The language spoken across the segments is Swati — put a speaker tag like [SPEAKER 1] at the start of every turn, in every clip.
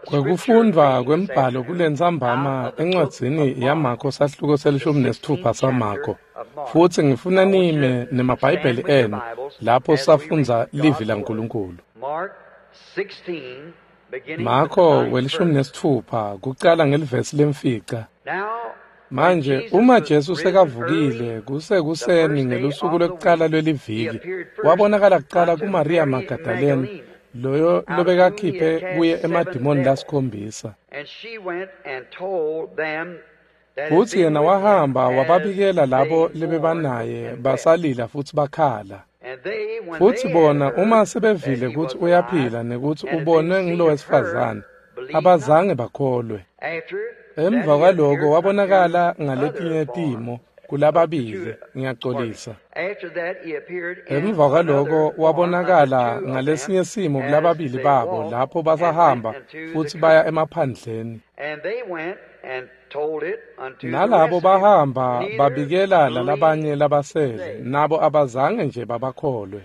[SPEAKER 1] Kwekufundvwa kwembhalo kulentsambama encwadzini yaMakho sahluko se-16 saMakho, futsi ngifuna nime nemaBhayibheli enu lapho safundza livi laNkulunkulu. Makho we-16 kucala ngelivesi lemfica. Manje uma Jesu sekavukile kusekuseni ngelusuku lwekucala lweliviki, wabonakala kucala kuMariya Magdalene, loyo lobekakhiphe kuye emadimoni lasikhombisa. Futsi yena wahamba wababikela labo lebebanaye basalila futsi bakhala. Futsi bona uma sebevile kutsi uyaphila nekutsi ubonwe ngulowesifazane, abazange bakholwe. Emva kwaloko wabonakala ngaletinye timo kulababili, ngiyacolisa. Emva kwaloko wabonakala ngalesinye simo kulababili babo lapho basahamba futsi baya emaphandleni. Nalabo bahamba babikela lalabanye labasele, nabo abazange nje babakholwe.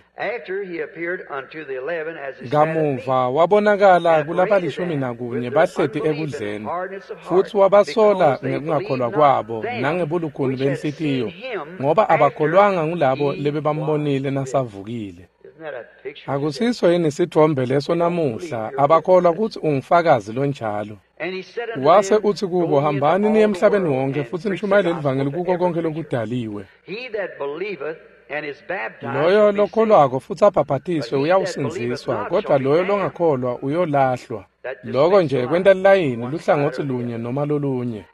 [SPEAKER 1] Kamuva wabonakala kulabalishumi nakunye bahleti ekudleni, futsi wabasola ngekungakholwa kwabo nangebulukhuni benhlitiyo, ngoba abakholwanga ngulabo lebebambonile nasavukile. Akusiso yini sitfombe leso namuhla, abakholwa kutsi ungufakazi lonjalo. Wase utsi kubo, hambani niye emhlabeni wonke futsi nishumayele livangeli kuko konke lokudaliwe. Loyo lokholwako futsi abhabhatiswe uyawusindziswa, kodwa loyo longakholwa uyolahlwa. Loko nje kwenta lilayini luhlangotsi lunye noma lolunye.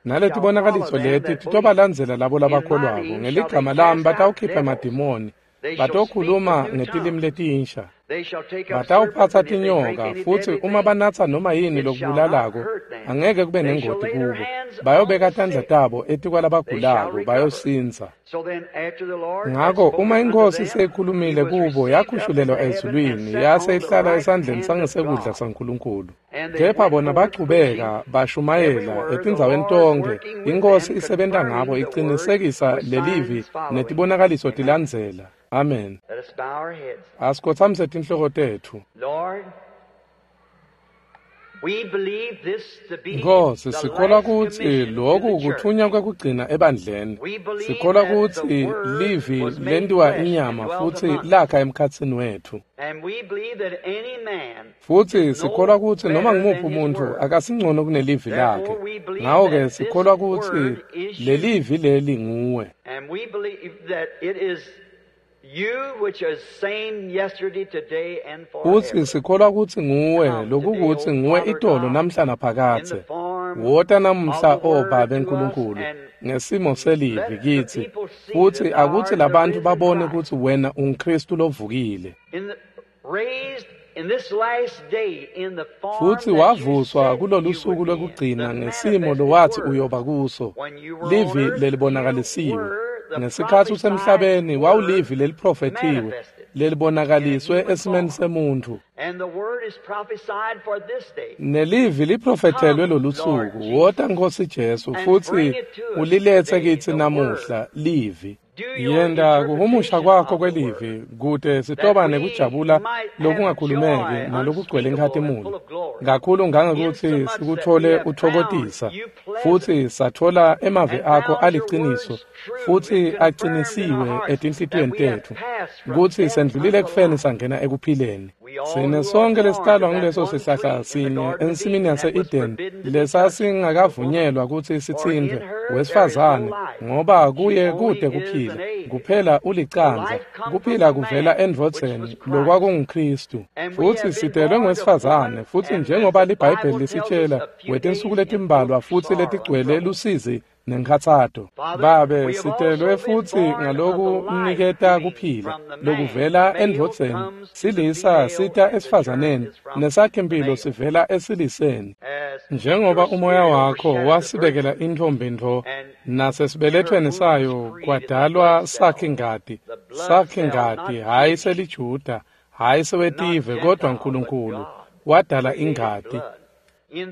[SPEAKER 1] Naletibonakaliso leti titobalandzela labo labakholwako, ngeligama lami batawukhipha emadimoni, batokhuluma ngetilimi letinsha, batawuphatsa tinyoka, futsi uma banatsa noma yini lokubulalako angeke kube nengoti kubo. Bayobeka tandla tabo etikwalabagulako bayosindza. Ngako uma iNkhosi seyikhulumile kubo, yakhushulelwa ezulwini, yase ihlala esandleni sangesekudla saNkulunkulu. Kepha bona bachubeka bashumayela etindzaweni tonkhe, iNkhosi isebenta ngabo icinisekisa lelivi netibonakaliso tilandzela. Amen. Asikhotsamise tinhloko tetfu. Nkhosi, sikholwa kutsi loku kutfunywa kwekugcina ebandleni. Sikholwa kutsi livi lentiwa inyama futsi lakha emkhatsini wetfu. Futsi sikholwa kutsi noma ngumuphi umuntfu akasingcono kunelivi lakhe. Ngako-ke sikholwa kutsi lelivi leli nguwe. Futsi sikholwa kutsi nguwe, lokukutsi nguwe itolo namhla naphakadze. Wota namuhla, O Babe Nkulunkulu, ngesimo selivi kitsi, futsi akutsi labantfu babone kutsi wena unguKhristu lovukile. Futsi wavuswa kulolusuku lwekugcina ngesimo lowatsi uyoba kuso, livi lelibonakalisiwe. Ngesikhatsi usemhlabeni wawulivi leliprofethiwe lelibonakaliswe esimeni semuntfu. Nelivi liprofethelwe lolusuku. Wota Nkhosi Jesu futsi uliletse kitsi namuhla livi. Yenta kuhumusha kwakho kwelivi kute sitoba nekujabula lokungakhulumeki nalokugcwele inkhatimulo kakhulu ngangekutsi sikuthole uthokotisa, futsi sathola emavi akho aliciniso futsi acinisiwe etinhlitiyweni tetfu kutsi sendlulile ekufeni sangena ekuphileni. Sine sonke lesitalwa nguleso sihlahla sinye ensimini yase-Eden lesasingakavunyelwa kutsi sitsintfwe wesifazane, ngoba kuye kute kuphila, kuphela ulicandza. Kuphila kuvela endvodzeni lokwakunguKhristu. Futsi sitelwe ngwesifazane, futsi njengoba liBhayibheli lisitshela wetinsuku letimbalwa futsi letigcwele lusizi nenkhatsato. Babe, sitelwe futsi ngalokuniketa kuphila lokuvela endvodzeni, silisa sita esifazaneni, nesakhimphilo sivela esiliseni. Njengoba umoya wakho wasibekela intfombi ntfo, nasesibelethweni sayo kwadalwa sakhingati, sakhingati hhayi seliJuda, hhayi sewetive, kodwa Nkulunkulu wadala ingati.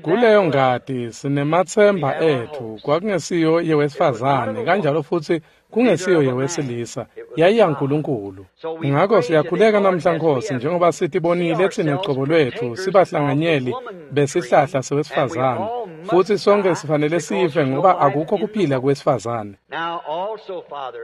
[SPEAKER 1] Kuleyo ngati sinematsemba etfu, kwakungesiyo yewesifazane, kanjalo futsi kungesiyo yewesilisa, yayiyaNkulunkulu. Ngakho siyakhuleka namhla Nkosi, njengoba sitibonile thina cobo lwethu sibahlanganyeli besihlahla sewesifazane, futhi sonke sifanele sife ngoba akukho kuphila kwesifazane.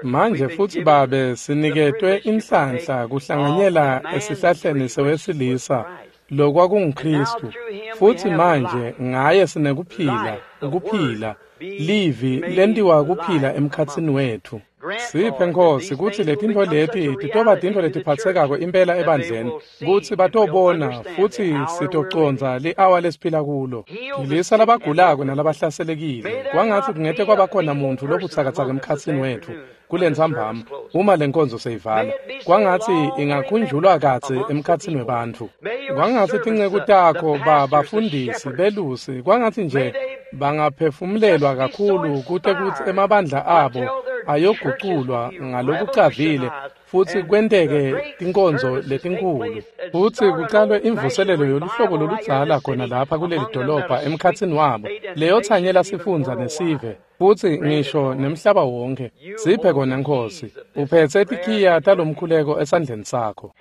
[SPEAKER 1] Manje futhi Babe, siniketwe inhlanhla kuhlanganyela esihlahleni sewesilisa lokwakunguKristu, futhi manje ngaye sinekuphila, ukuphila, livi lentiwa kuphila emkhatsini wethu. Siphe Nkosi kutsi letintfo leti titoba tintfo letiphatsekako impela ebandleni, kutsi batobona futhi sitocondza li-awa lesiphila kulo. Philisa labagulako nalabahlaselekile, kwangatsi kungete kwabakhona muntfu lobutsakatsaka emkhatsini wethu kulentsambama uma lenkonzo seyivala, kwangatsi ingakhunjulwa kadze emkhatsini webantfu. Kwangatsi tinceku takho bafundisi belusi, kwangatsi nje bangaphefumulelwa kakhulu kute kutsi emabandla abo ayoguculwa ngalokucavile futhi kwenteke tinkonzo letinkhulu, futhi kucalwe imvuselelo yoluhlobo loludzala khona lapha kuleli dolobha emkhatsini wabo, leyothanyela sifundza nesive futhi ngisho nemhlaba wonke. Siphe kona Nkosi, uphetse tikhiya talomkhuleko esandleni sakho.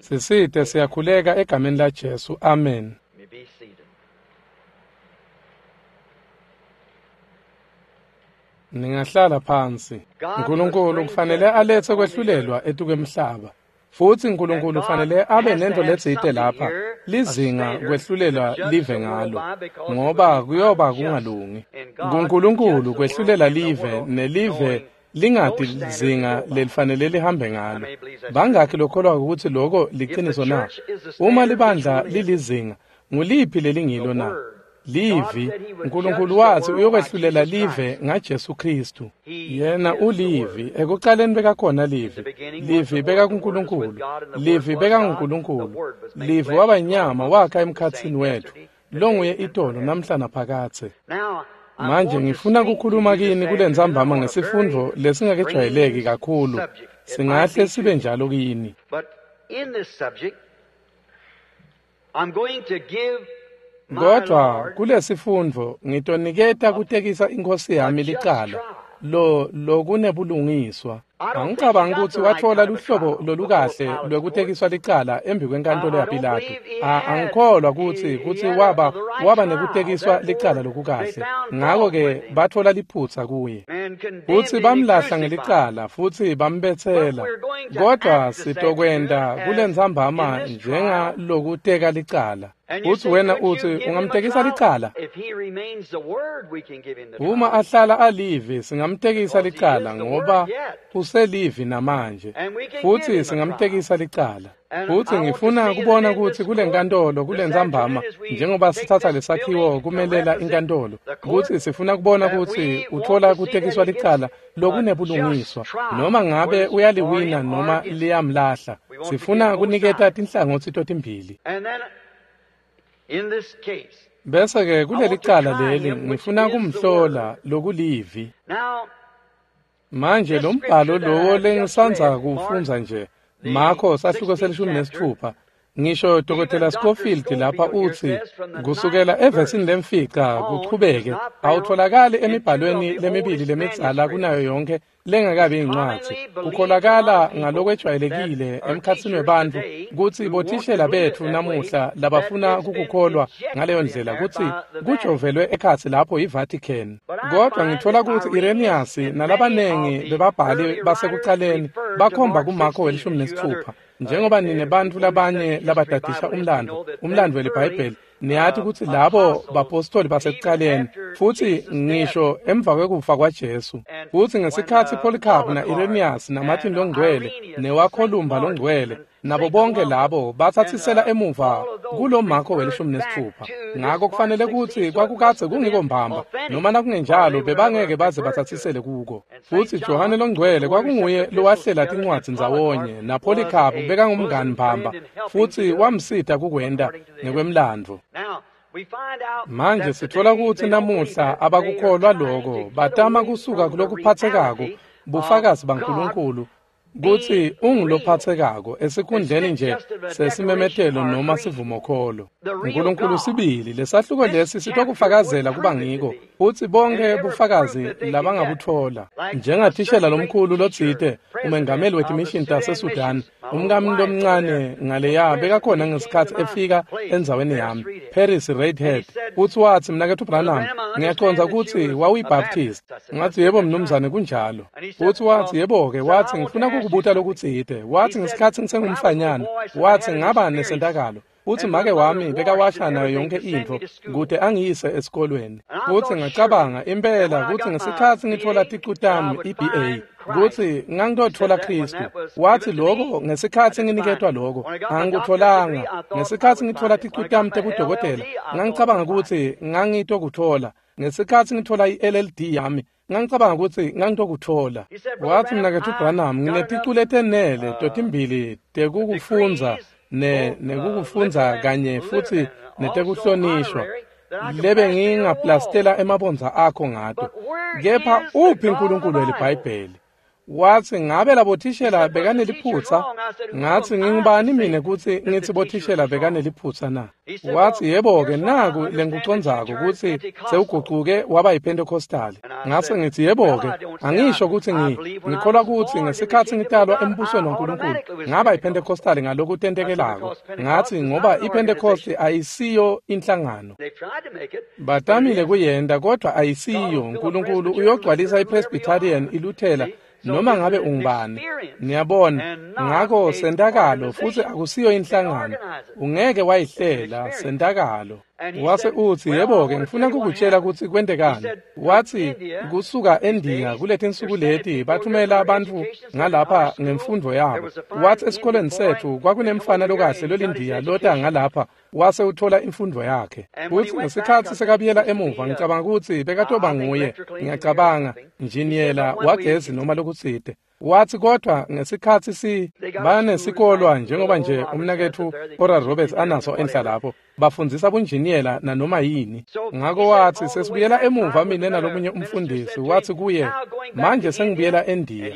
[SPEAKER 1] Sisite siyakhuleka egameni la Jesu, amen. Ningahlala phansi. Nkulunkulu kufanele alethe kwehlulelwa etukwemhlaba, futhi Nkulunkulu kufanele abe nento letsite lapha lizinga kwehlulelwa live ngalo, ngoba kuyoba kungalungi kuNkulunkulu kwehlulela live nelive lingati lizinga lelifanele lihambe ngalo. Bangakhi lokholwa ukuthi lokho liqiniso na? Uma libandla lilizinga, nguliphi lelingilo na? Livi. Nkulunkulu wathi uyokwehlulela live ngaJesu Kristu. Yena ulivi, ekuqaleni bekakhona livi, livi bekakuNkulunkulu, livi bekanguNkulunkulu, livi waba inyama wakha emkhatsini wethu, longuye itolo namhla naphakadze. Manje ngifuna kukhuluma kini kulentsambama ngesifundvo lesingakejwayeleki kakhulu, singahle sibe njalo kini. Kodwa kulesifundvo ngitoniketa kutekisa inkosi yami licala lo lokunebulungiswa. Angicabangi ukuthi wathola luhlobo lolukahle lwekutekiswa licala embi kwenkantolo yaPilato. Angikholwa kutsi waba nekutekiswa licala lokukahle. Ngakho-ke bathola liphutsa kuye, futsi bamlahla ngelicala futhi bambetsela. Kodwa sitokwenta kulentsambama njengalokuteka licala. Uthi wena uthi ungamtekisa licala? Uma ahlala alivi singamtekisa licala ngoba uselivi namanje, futhi singamtekisa licala. Futhi ngifuna kubona ukuthi kulenkantolo kulentsambama, njengoba sithatha lesakhiwo kumelela inkantolo, ukuthi sifuna kubona ukuthi uthola kutekiswa licala lokunebulungiswa, noma ngabe uyaliwina noma liyamlahla. Sifuna kuniketa tinhlangotsi totimbili. Bese-ke kuleli cala leli ngifuna kumhlola lokulivi. Manje lo mbhalo lowo lengisandza kuwufundza nje, Marko sahluko se-16, ngisho Dr. Scofield lapha uthi kusukela evesini lemfica kuchubeke awutholakali emibhalweni lemibili lemidzala kunayo yonke lengakabi incwadzi. Kukholakala ngalokwejwayelekile emkhatsini webantfu kutsi bothishela betfu namuhla labafuna kukukholwa ngaleyo ndlela kutsi kujovelwe ekhatsi lapho yiVatican. Kodwa ngithola kutsi Irenaeus nalabanengi bebabhali basekucaleni bakhomba kuMarko we-16. Njengoba nine bantfu labanye labadadisha umlandvo weliBhayibheli, niyati kutsi labo bapostoli basekucaleni, futhi ngisho emva kwekufa kwaJesu, futhi ngesikhatsi Polycarp na-Irenaeus naMartin longcwele newaKholumba longcwele nabo bonke labo bathathisela emuva kulo Marko we-16. Ngakho kufanele kutsi kwakukadze kungiko mbamba, noma nakungenjalo bebangeke baze bathathisele kuko. Futhi Johane longcwele kwakunguye lowahlela tincwadzi ndzawonye, naPolycarp bekangumngani mbamba futhi wamsita kukwenta ngekwemlandvo. Manje sithola kutsi namuhla abakukholwa loko, batama kusuka kulokuphatsekako bufakazi baNkulunkulu Kutsi ungulophatsekako esikhundleni nje sesimemetelo noma sivumokholo. Nkulunkulu sibili, lesahluko lesi sitokufakazela kuba ngiko, futsi bonke bufakazi labangabutfola. Njengathishela lomkhulu lotsite, umengameli wetimishini taseSudan, umkami lomncane ngaleya bekakhona ngesikhatsi efika endzaweni yami, Paris Redhead, futsi watsi, Mnaketfu Branham, ngiyacondza kutsi wawuyiBaptist. Ngathi, yebo mnumzane, kunjalo. Futsi watsi, yebo-ke, watsi, ngifuna kukubuta lokutsite. Watsi, ngesikhatsi ngisengumfanyana, watsi, ngaba nesentakalo. Futsi make wami bekawasha nayo yonke intfo kute angiyise esikolweni. Futsi ngacabanga impela kutsi ngesikhatsi ngitfola ticu tami i-BA, kutsi ngangitotfola Khristu. Watsi lokho ngesikhatsi nginiketwa lokho, angikutfolanga. Ngesikhatsi ngitfola ticu tami tebudokotela, ngangicabanga kutsi ngangitokutfola. Ngesikhatsi ngitfola i-LLD yami, ngangicabanga kutsi ngangitokutfola. Watsi, Mnaketfu Branham, ngineticu letenele totimbili tekukufundza nekukufundza kanye futsi netekuhlonishwa lebe ngingaplastela emabondza akho ngato. Kepha uphi uNkulunkulu weliBhayibheli? Watsi, ngabe labothishela bekaneliphutsa? Ngathi, ngingubani mina kutsi ngithi bothishela bekaneliphutsa na? Watsi, yebo-ke, naku lengikucondzako kutsi sewugucuke waba yiPentecostali. Ngase ngithi, yebo-ke, angisho kutsi ngikholwa kutsi ngesikhatsi ngitalwa embusweni waNkulunkulu ngaba yiPentecostali ngalokutentekelako. Ngathi, ngoba iPentecost ayisiyo inhlangano. Batamile kuyenta, kodwa ayisiyo. Nkulunkulu uyogcwalisa iPresbyterian, iLuthela, noma ngabe ungubani. Niyabona, ngakho sentakalo futsi akusiyo inhlangano. Ungeke wayihlela, sentakalo. Wase utsi, yebo-ke, ngifuna kukutshela kutsi kwentekani. Watsi, kusuka eNdiya kuletinsuku leti bathumela abantu ngalapha ngemfundvo yabo. Watsi esikoleni setfu kwakunemfana lokahle lolindiya lota ngalapha, wase uthola imfundvo yakhe. Futsi ngesikhatsi sekabuyela emuva, ngicabanga kutsi bekatoba nguye, ngiyacabanga, njiniyela wagezi noma lokutsite. Watsi kodwa ngesikhatsi banesikolwa njengoba nje umnaketfu Oral Roberts anaso enhla lapho, bafundzisa bunjiniyela nanoma yini. Ngako watsi, sesibuyela emuva mine nalomunye umfundisi. Watsi kuye, manje sengibuyela eNdiya.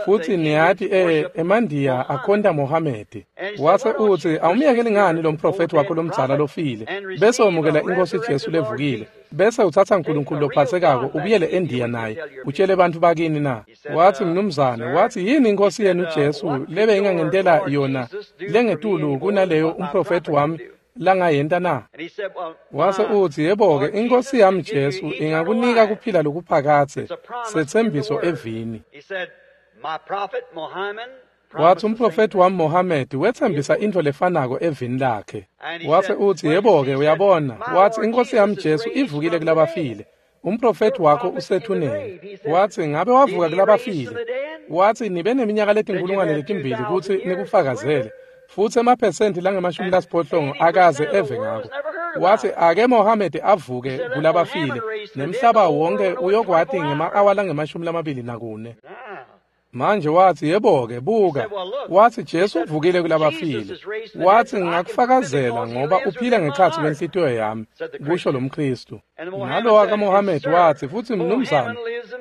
[SPEAKER 1] Futsi niyati emaNdiya akhonta Mohamedi. Wase utsi, awumyekeli ngani lo mprofethi wakho lomdzala lofile, bese wemukela iNkosi Jesu levukile, bese utsatsa uNkulunkulu lophatsekako ubuyele eNdiya naye, utshele bantfu bakini na? Watsi, mnumzane, watsi, yini iNkosi yenu Jesu lebe ingangentela yona lengetulu kunaleyo umprofethi wami langayenta na? Wase utsi, yebo-ke, iNkosi yami Jesu ingakunika kuphila lokuphakadze, setsembiso evini. Watsi umprofethi wami Mohamedi wetsembisa intfo lefanako evini lakhe. Wase utsi, yebo-ke, uyabona, watsi iNkosi yami Jesu ivukile kulabafile. Umprofethi wakho usethuneni. Watsi, ngabe wavuka kulabafile? Watsi, nibe neminyaka letinkulungwane letimbili kutsi nikufakazele. Futsi emaphesenti langama-80 akaze eve ngako. Watsi, ake Mohamedi avuke kulabafile, nemhlaba wonke uyokwati ngema-awa langama-24. Manje watsi, yebo-ke, buka. Watsi Jesu uvukile kulabafile. Watsi, ngingakufakazela ngoba uphila ngekhatsi kwenhlitiyo yami, kusho lomKhristu. Nalo wakaMohamedi watsi, futsi mnumzane,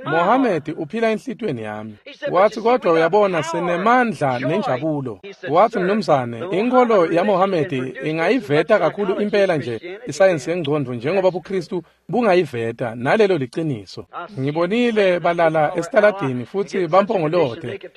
[SPEAKER 1] Mohamedi uphila enhlitiyweni yami. Watsi, kodwa uyabona, sinemandla nenjabulo. Watsi, mnumzane, inkholo yaMohamedi ingayiveta kakhulu impela nje isayensi yengcondvo njengoba buKhristu bungayiveta, nalelo liciniso. Ngibonile balala esitaladini futsi bampongolote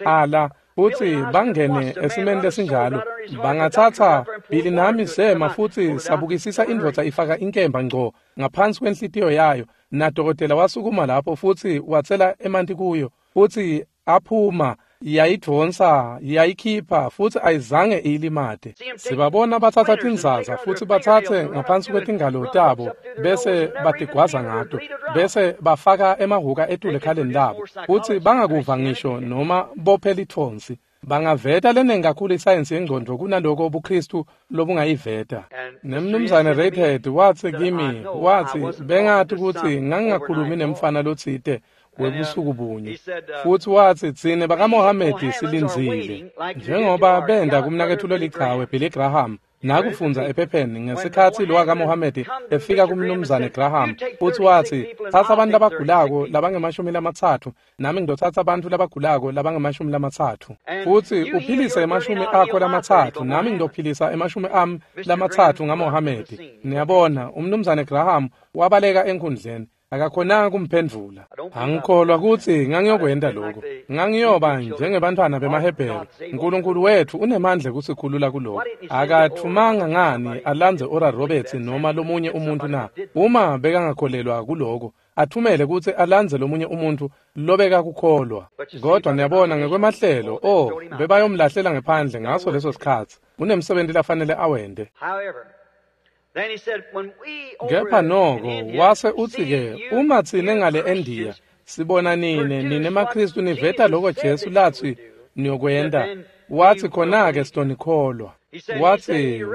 [SPEAKER 1] ala futsi bangene esimeni lesinjalo. Bangatsatsa Billy nami sema futsi sabukisisa indvodza ifaka inkemba ngco ngaphansi kwenhlitiyo yayo, nadokotela wasukuma lapho futsi watsela emanti kuyo, futsi aphuma, yayidvonsa, yayikhipha, futsi ayizange iyilimate. Sibabona batsatsa tinzaza futsi batsatse ngaphansi kwetingalo tabo bese batigwaza ngato, bese bafaka emahhuka etulu ekhaleni labo, futsi bangakuva ngisho noma bophe lithonsi. Bangaveta lenengi kakhulu isayensi yengcondvo kunaloko buKhristu lobungayiveta. Nemnumzane Redhead watsi kimi, watsi, bengathi kutsi ngangingakhulumi nemfana lotsite. webusuku bunye. Futsi watsi, tsine bakaMohamedi silindzile, njengoba benda kumnaketfu lolichawe Billy Graham, nakufundza ephepheni ngesikhatsi lo wakaMohamedi efika kumnumzane Graham, futsi watsi, tsatsa abantu labagulako labange-30, nami ngidotsatsa abantu labagulako labange-30, futsi uphilise 30 nami ngidophilisa 30 ngaMohamedi. Niyabona, umnumzane Graham wabaleka enkhundleni, akakhonanga kumphendvula. Angikholwa kutsi ngangiyokwenta lokho. Ngangiyoba njengebantfwana bemaHebheru. Nkulunkulu wetfu unemandla kusikhulula kuloko. Akathumanga ngani alandze Oral Roberts noma lomunye umuntu na? Uma bekangakholelwa kuloko, athumele kutsi alandze lomunye umuntu lobekakukholwa. Kodwa niyabona ngekwemahlelo, bebayomlahlela ngephandle ngaso leso sikhatsi. Unemsebenti lafanele awente. Kepha noko wase utsi-ke, uma tsine ngale eNdiya sibona nine nemaKhristu niveta loko Jesu latsi niyokwenta, watsi khona-ke sitonikholwa.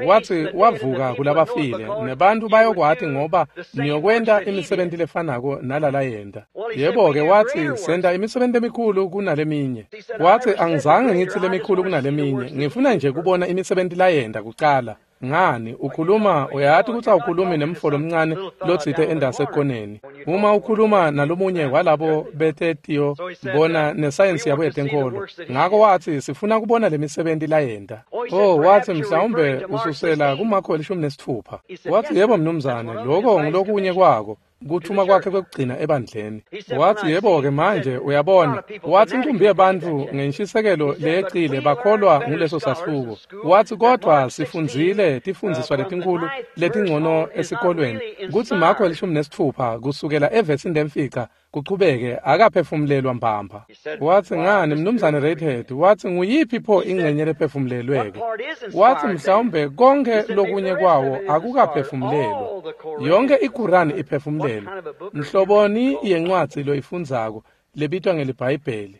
[SPEAKER 1] Watsi wavuka kulabafile, nebantu bayokwati ngoba niyokwenta imisebenti lefanako nalalayenta. Yebo-ke, watsi senta imisebenti emikhulu kunaleminye. Watsi angizange ngitsi lemikhulu kunaleminye, ngifuna nje kubona imisebenti layenta kucala. Ngani ukhuluma, uyati kutsi awukhulumi nemfo lomncane lotsite endase ekoneni. Uma ukhuluma nalomunye walabo betetiyo bona nesayensi yabo yetenkholo. Ngako watsi sifuna kubona lemisebenti layenta. Watsi mhlawumbe ususela kuMakho 16. Watsi yebo mnumzane, lokho ngulokunye kwako. Kuthuma kwakhe kwekugcina ebandleni. Watsi yebo-ke manje uyabona, watsi inkumbi yebantfu ngenshisekelo leyecile bakholwa nguleso sahluko. Watsi kodwa sifundzile tifundziswa letinkhulu letingcono esikolweni kutsi Makho 16 kusukela evesini lemfica kuchubeke akaphefumulelwa mbamba. Watsi ngani mnumzane Redhead, watsi nguyiphi pho ingcenye lephefumulelweke? Watsi mhlawumbe konke lokunye kwawo akukaphefumulelwa. Yonke iQuran iphefumulelwe. Mhloboni yencwadzi loyifundzako lebitwa ngeliBhayibheli.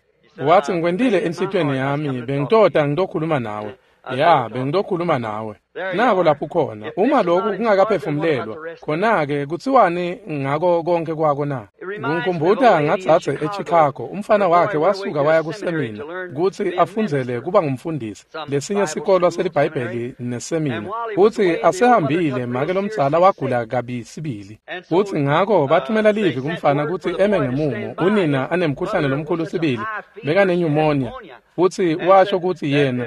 [SPEAKER 1] Watsi ngikwentile enhlitiyweni yami, bengitoda ngitokhuluma nawe. Ya, bengitokhuluma nawe. Nako lapho khona, uma lokhu kungakaphefumulelwa, khona-ke kutsiwani ngako konke kwako na? Ngikhumbuta ngadzadze eChicago, umfana wakhe wasuka waya kusemina kutsi afundzele kuba ngumfundisi, lesinye sikolwa seliBhayibheli nesemina. Kutsi asehambile, make lomdzala wagula kabi sibili. Kutsi ngako bathumela livi kumfana kutsi eme ngemumo, unina anemkhuhlane lomkhulu sibili, bekanepneumonia. Futsi washo kutsi yena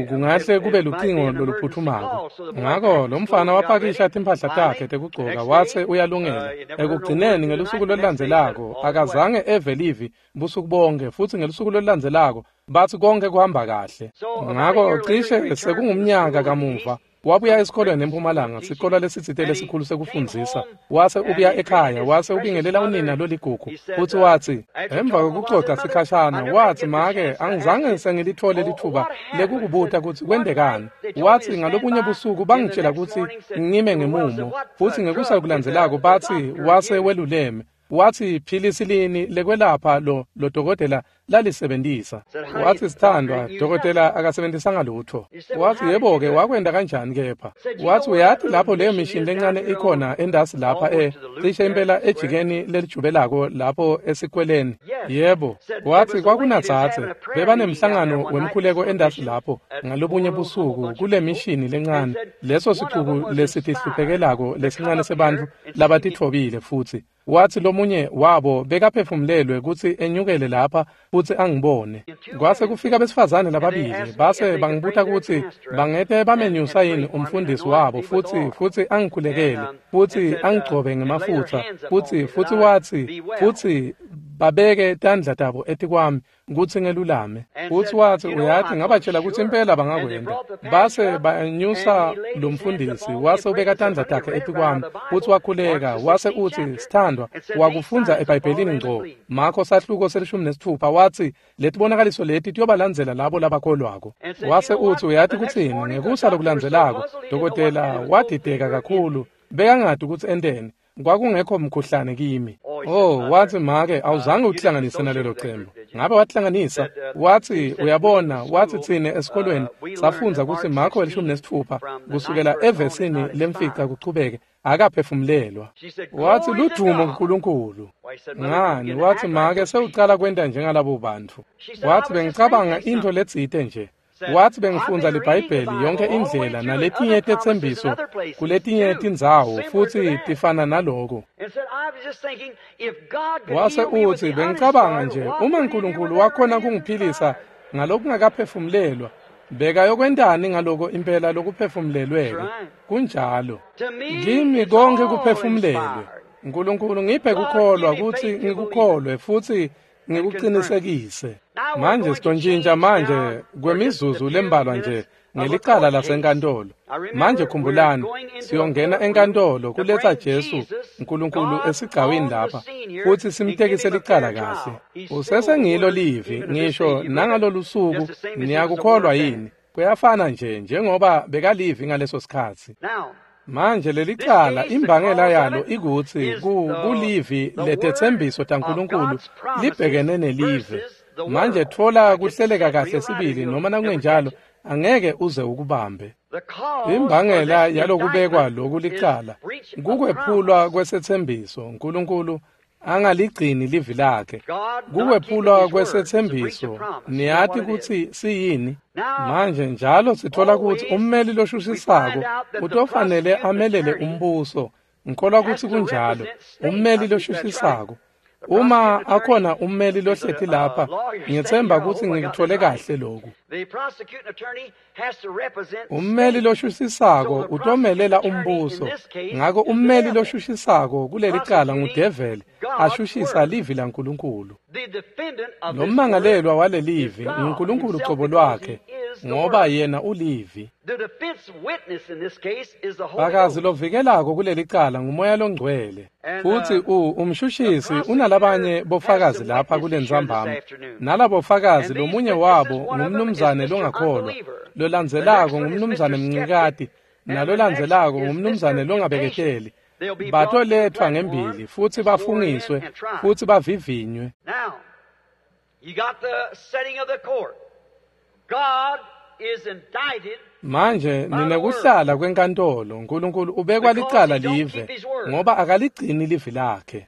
[SPEAKER 1] kungahle kube lucingo loluphutfumako. Ngako lo mfana wapakisha timphahla takhe tekugcoka wase uyalungela. Ekugcineni ngelusuku lolulandzelako akazange eve livi busuku bonke, futsi ngelusuku lolulandzelako batsi konke kuhamba kahle. Ngako cishe sekungumnyaka kamuva wabuya esikolweni eMpumalanga, sikolwa lesitsite lesikhulu sekufundzisa. Wase ubuya ekhaya, wase ubingelela unina loligugu, futsi watsi emva kwekucoca sikhashana, watsi make angizange sengilithole litfuba lekukubuta kutsi kwentekani. Watsi ngalobunye busuku bangitshela kutsi ngime ngemumo, futsi ngekusa kulandzelako batsi wase weluleme. Watsi philisi lini lekwelapha lo dokotela lalisebentisa. Watsi sithandwa, dokotela akasebentisanga lutho. Watsi yebo-ke wakwenta kanjani kepha? Watsi uyati lapho leyo mishini lencane ikhona endasi lapha cishe impela ejikeni lelijubelako lapho esikweleni. Yebo, watsi kwakunadzadze bebanemhlangano wemkhuleko endasi lapho ngalobunye busuku kule mishini lencane, leso sicuku lesitihluphekelako lesincane sebantfu labatitfobile. Futsi watsi lomunye wabo bekaphefumulelwe kutsi enyukele lapha futsi angibone. Kwase kufika besifazane lababili, base bangibuta kutsi bangete bamenyusa yini umfundisi wabo futsi angikhulekele, futsi angigcobe ngemafutsa, futsi watsi futsi babeke tandla tabo etikwami kutsi ngelulame. Futsi watsi uyati ngabatshela kutsi impela bangakwenta. Base banyusa lo mfundisi, wase ubeka tandla takhe etikwami, futsi wakhuleka, wase utsi sithandwa wakufundza eBhayibhelini ngco, Makho sahluko se-16, watsi letibonakaliso leti tiyobalandzela labo labakholwako. Wase utsi uyati kutsini, ngekusa lokulandzelako dokotela wadideka kakhulu, bekangati kutsi enteni. Kwakungekho mkhuhlane kimi. Watsi make awuzange uhlanganise nalelo cembu. Ngabe watihlanganisa? Watsi, uyabona, watsi tsine esikolweni safundza kutsi Marko 16 kusukela evesini lemfica kuchubeke akaphefumulelwa. Watsi, ludumo kuNkulunkulu. Ngani, watsi make sewucala kwenta njengalabo bantfu. Watsi, bengicabanga intfo letsite nje. Watsi bengifundza liBhayibheli yonke indlela naletinye tetsembiso kuletinye tindzawo futsi tifana naloko. Wase utsi, bengicabanga nje uma uNkulunkulu wakhona kungiphilisa ngalokungakaphefumulelwa, bekayokwentani ngaloko impela lokuphefumulelweke? Kunjalo. Kimi konke kuphefumulelwe. uNkulunkulu ngiphe kukholwa kutsi ngikukholwe futsi ngikuqinisekise. Manje sitontshintsha manje kwemizuzu lembalwa nje ngelicala lasenkantolo. Manje khumbulani, siyongena enkantolo kuletsa Jesu uNkulunkulu esigcawini lapha futsi simtekise licala kahle. Usesengilo livi ngisho nangalolu suku. Niyakukholwa yini? Kuyafana nje njengoba bekalivi ngaleso sikhatsi. Manje lelicala imbangela yalo ikutsi kulivi letetsembiso taNkulunkulu libhekene nelive. Manje tfola kuhleleka kahle sibili, noma nakungenjalo angeke uze ukubambe. Imbangela yalokubekwa loku licala kukwephulwa kwesetsembiso. uNkulunkulu angaligcini livi lakhe. Kukwephulwa kwesetsembiso. Niyati kutsi siyini? Manje njalo sithola kutsi ummeli loshushisako utofanele amelele umbuso. Ngikholwa kutsi kunjalo. Ummeli loshushisako. Uma akhona ummeli lohleti lapha, ngiyetsemba kutsi ngikuthole kahle loku. Ummeli loshushisako utomelela umbuso. Ngako ummeli loshushisako kulelicala ngudeveli, ashushisa livi laNkulunkulu. Lommangalelwa walelivi nguNkulunkulu cobo lwakhe, ngoba yena ulivi. Fakazi lovikelako kulelicala nguMoya loNgcwele. Futsi umshushisi unalabanye bofakazi lapha kulentsambama. Nalabofakazi lomunye wabo ngumnumzane longakholwa, lolandzelako ngumnumzane Mncikati, nalolandzelako ngumnumzane longabeketeli. Batoletfwa ngembili futsi bafungiswe futsi bavivinywe. Manje ninekuhlala kwenkantolo. uNkulunkulu ubekwa licala live ngoba akaligcini livi lakhe.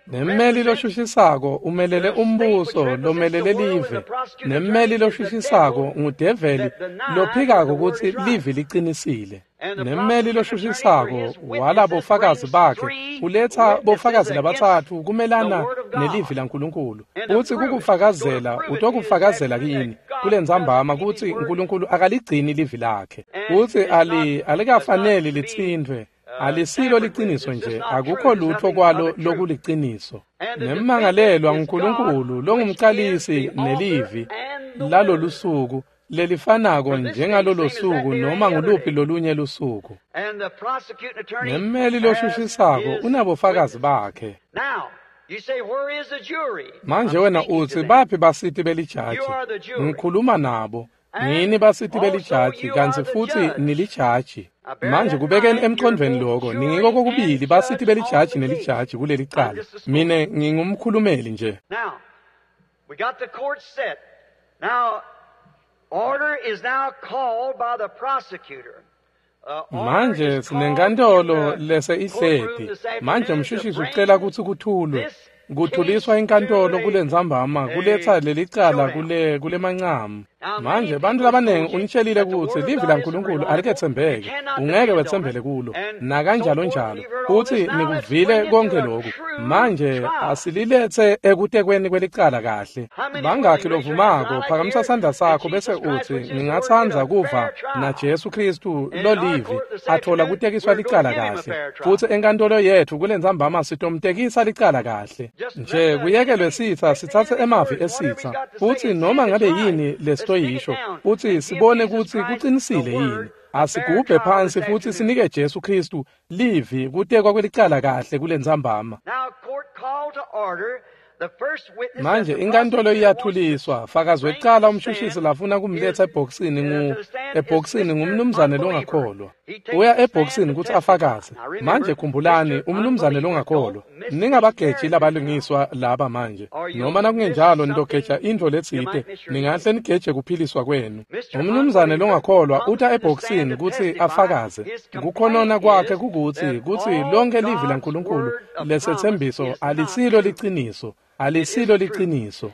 [SPEAKER 1] Nemmeli loshushisako umelele umbuso lomelele live. Nemmeli loshushisako ngudeveli lophikako kutsi livi liqinisile. Nemmeli loshushisako walabofakazi bakhe uletha bofakazi labatsatfu kumelana nelivi laNkulunkulu. Utsi kukufakazela utokufakazela kini kulentsambama kutsi uNkulunkulu akaligcini livi lakhe. Utsi alikafaneli litsintfwe. Alisilo liciniso nje, akukho lutho kwalo lokuliciniso. Nemmangalelwa nguNkulunkulu longumcalisi nelivi lalolusuku lelifanako njengalolo suku noma nguluphi lolunye lusuku. Nemmeli loshushisako unabofakazi bakhe. Manje wena utsi, baphi basiti belijaji? Ngikhuluma nabo. Ngini basiti belijaji, kantsi futsi nilijaji. Manje kubekeni emqondweni lokho, ningiko kokubili basiti belijaji nelijaji kulelicala. Mine ngingumkhulumeli nje. Manje sinenkantolo lese ihleti. Manje umshushisi ucela kutsi kuthulwe. Kuthuliswa inkantolo kulentsambama kuletsa lelicala kulemancamu. Manje bantu labanengi unitshelile kutsi livi laNkulunkulu aliketsembeki, ungeke wetsembele kulo nakanjalo njalo. Futsi nikuvile konke lokhu. Manje asililethe ekutekweni kwelicala kahle. Bangakhi lovumako, phakamisa sandla sakho bese utsi, ngingatsandza kuva na Jesu Kristu lolivi athola kutekiswa licala kahle. Futsi enkantolo yethu kulentsambama sitomtekisa licala kahle. Nje kuyekelwe sitsa sitsatse emavi esitsa, futsi noma ngabe yini lesitoyisho, futsi sibone kutsi kuqinisile yini. Asigubhe phansi futsi sinike Jesu Kristu livi kutekwa kwelicala kahle kulentsambama. Manje inkantolo iyathuliswa. Fakazi wekucala umshushisi lafuna kumletsa ebhokisini ngumnumzane longakholwa. Uya ebhokisini kutsi afakaze. Manje khumbulani, umnumzane longakholwa. Ningabageji labalungiswa laba manje, noma nakungenjalo nitogeja intfo letsite, ningahle nigeje kuphiliswa kwenu. Umnumzane longakholwa uta ebhokisini kutsi afakaze. Kukhonona kwakhe kukutsi kutsi lonke livi laNkulunkulu lesetsembiso alisilo liciniso. Alisilo liciniso.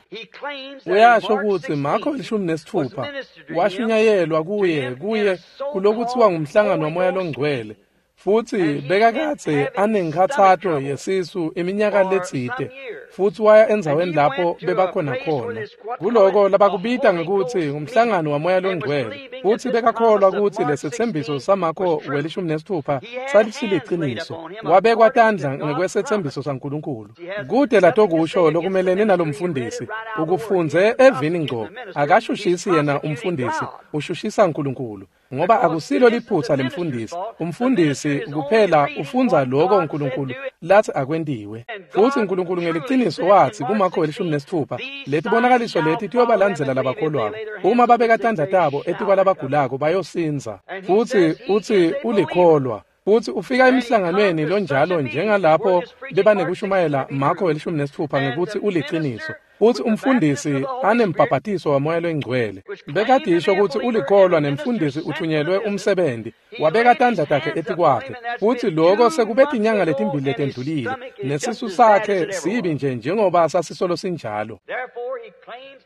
[SPEAKER 1] Uyasho ukuthi Marko 16 washunyayelwa kuye kulokuthiwa ngumhlangano waMoya loNgcwele, futsi bekakadze anenkhatsato yesisu iminyaka letsite, futsi waya endzaweni lapho bebakhona khona kuloko labakubita ngekutsi ngumhlangano waMoya loNgcwele, futsi bekakholwa kutsi lesetsembiso saMarko 16 salisiliciniso. Wabekwa tandla ngekwesetsembiso saNkulunkulu. Kude latokusho lokumelene nalomfundisi, ukufundze evini ngco. Akashushisi yena umfundisi, ushushisa uNkulunkulu, ngoba akusilo liphutsa lemfundisi. Umfundisi kuphela ufundza lokho uNkulunkulu lathi akwentiwe. Futsi uNkulunkulu ngeliciniso wathi kuMarko 16, letibonakaliso leti tiyobalandzela labakholwako. Uma babeka tandla tabo etikwalabagulako bayosinza. Futsi utsi ulikholwa. Futsi ufika emhlanganweni lonjalo njengalapho bebanekushumayela Marko 16 ngekutsi uliciniso. Futsi umfundisi anembhabhatiso waMoya loNgcwele. Bekadisho kutsi ulikholwa nemfundisi uthunyelwe umsebenzi, wabeka tandla takhe etikwakhe. Futsi lokho sekube tinyanga letimbili letendlulile, nesisu sakhe sibi nje njengoba sasisolo sinjalo.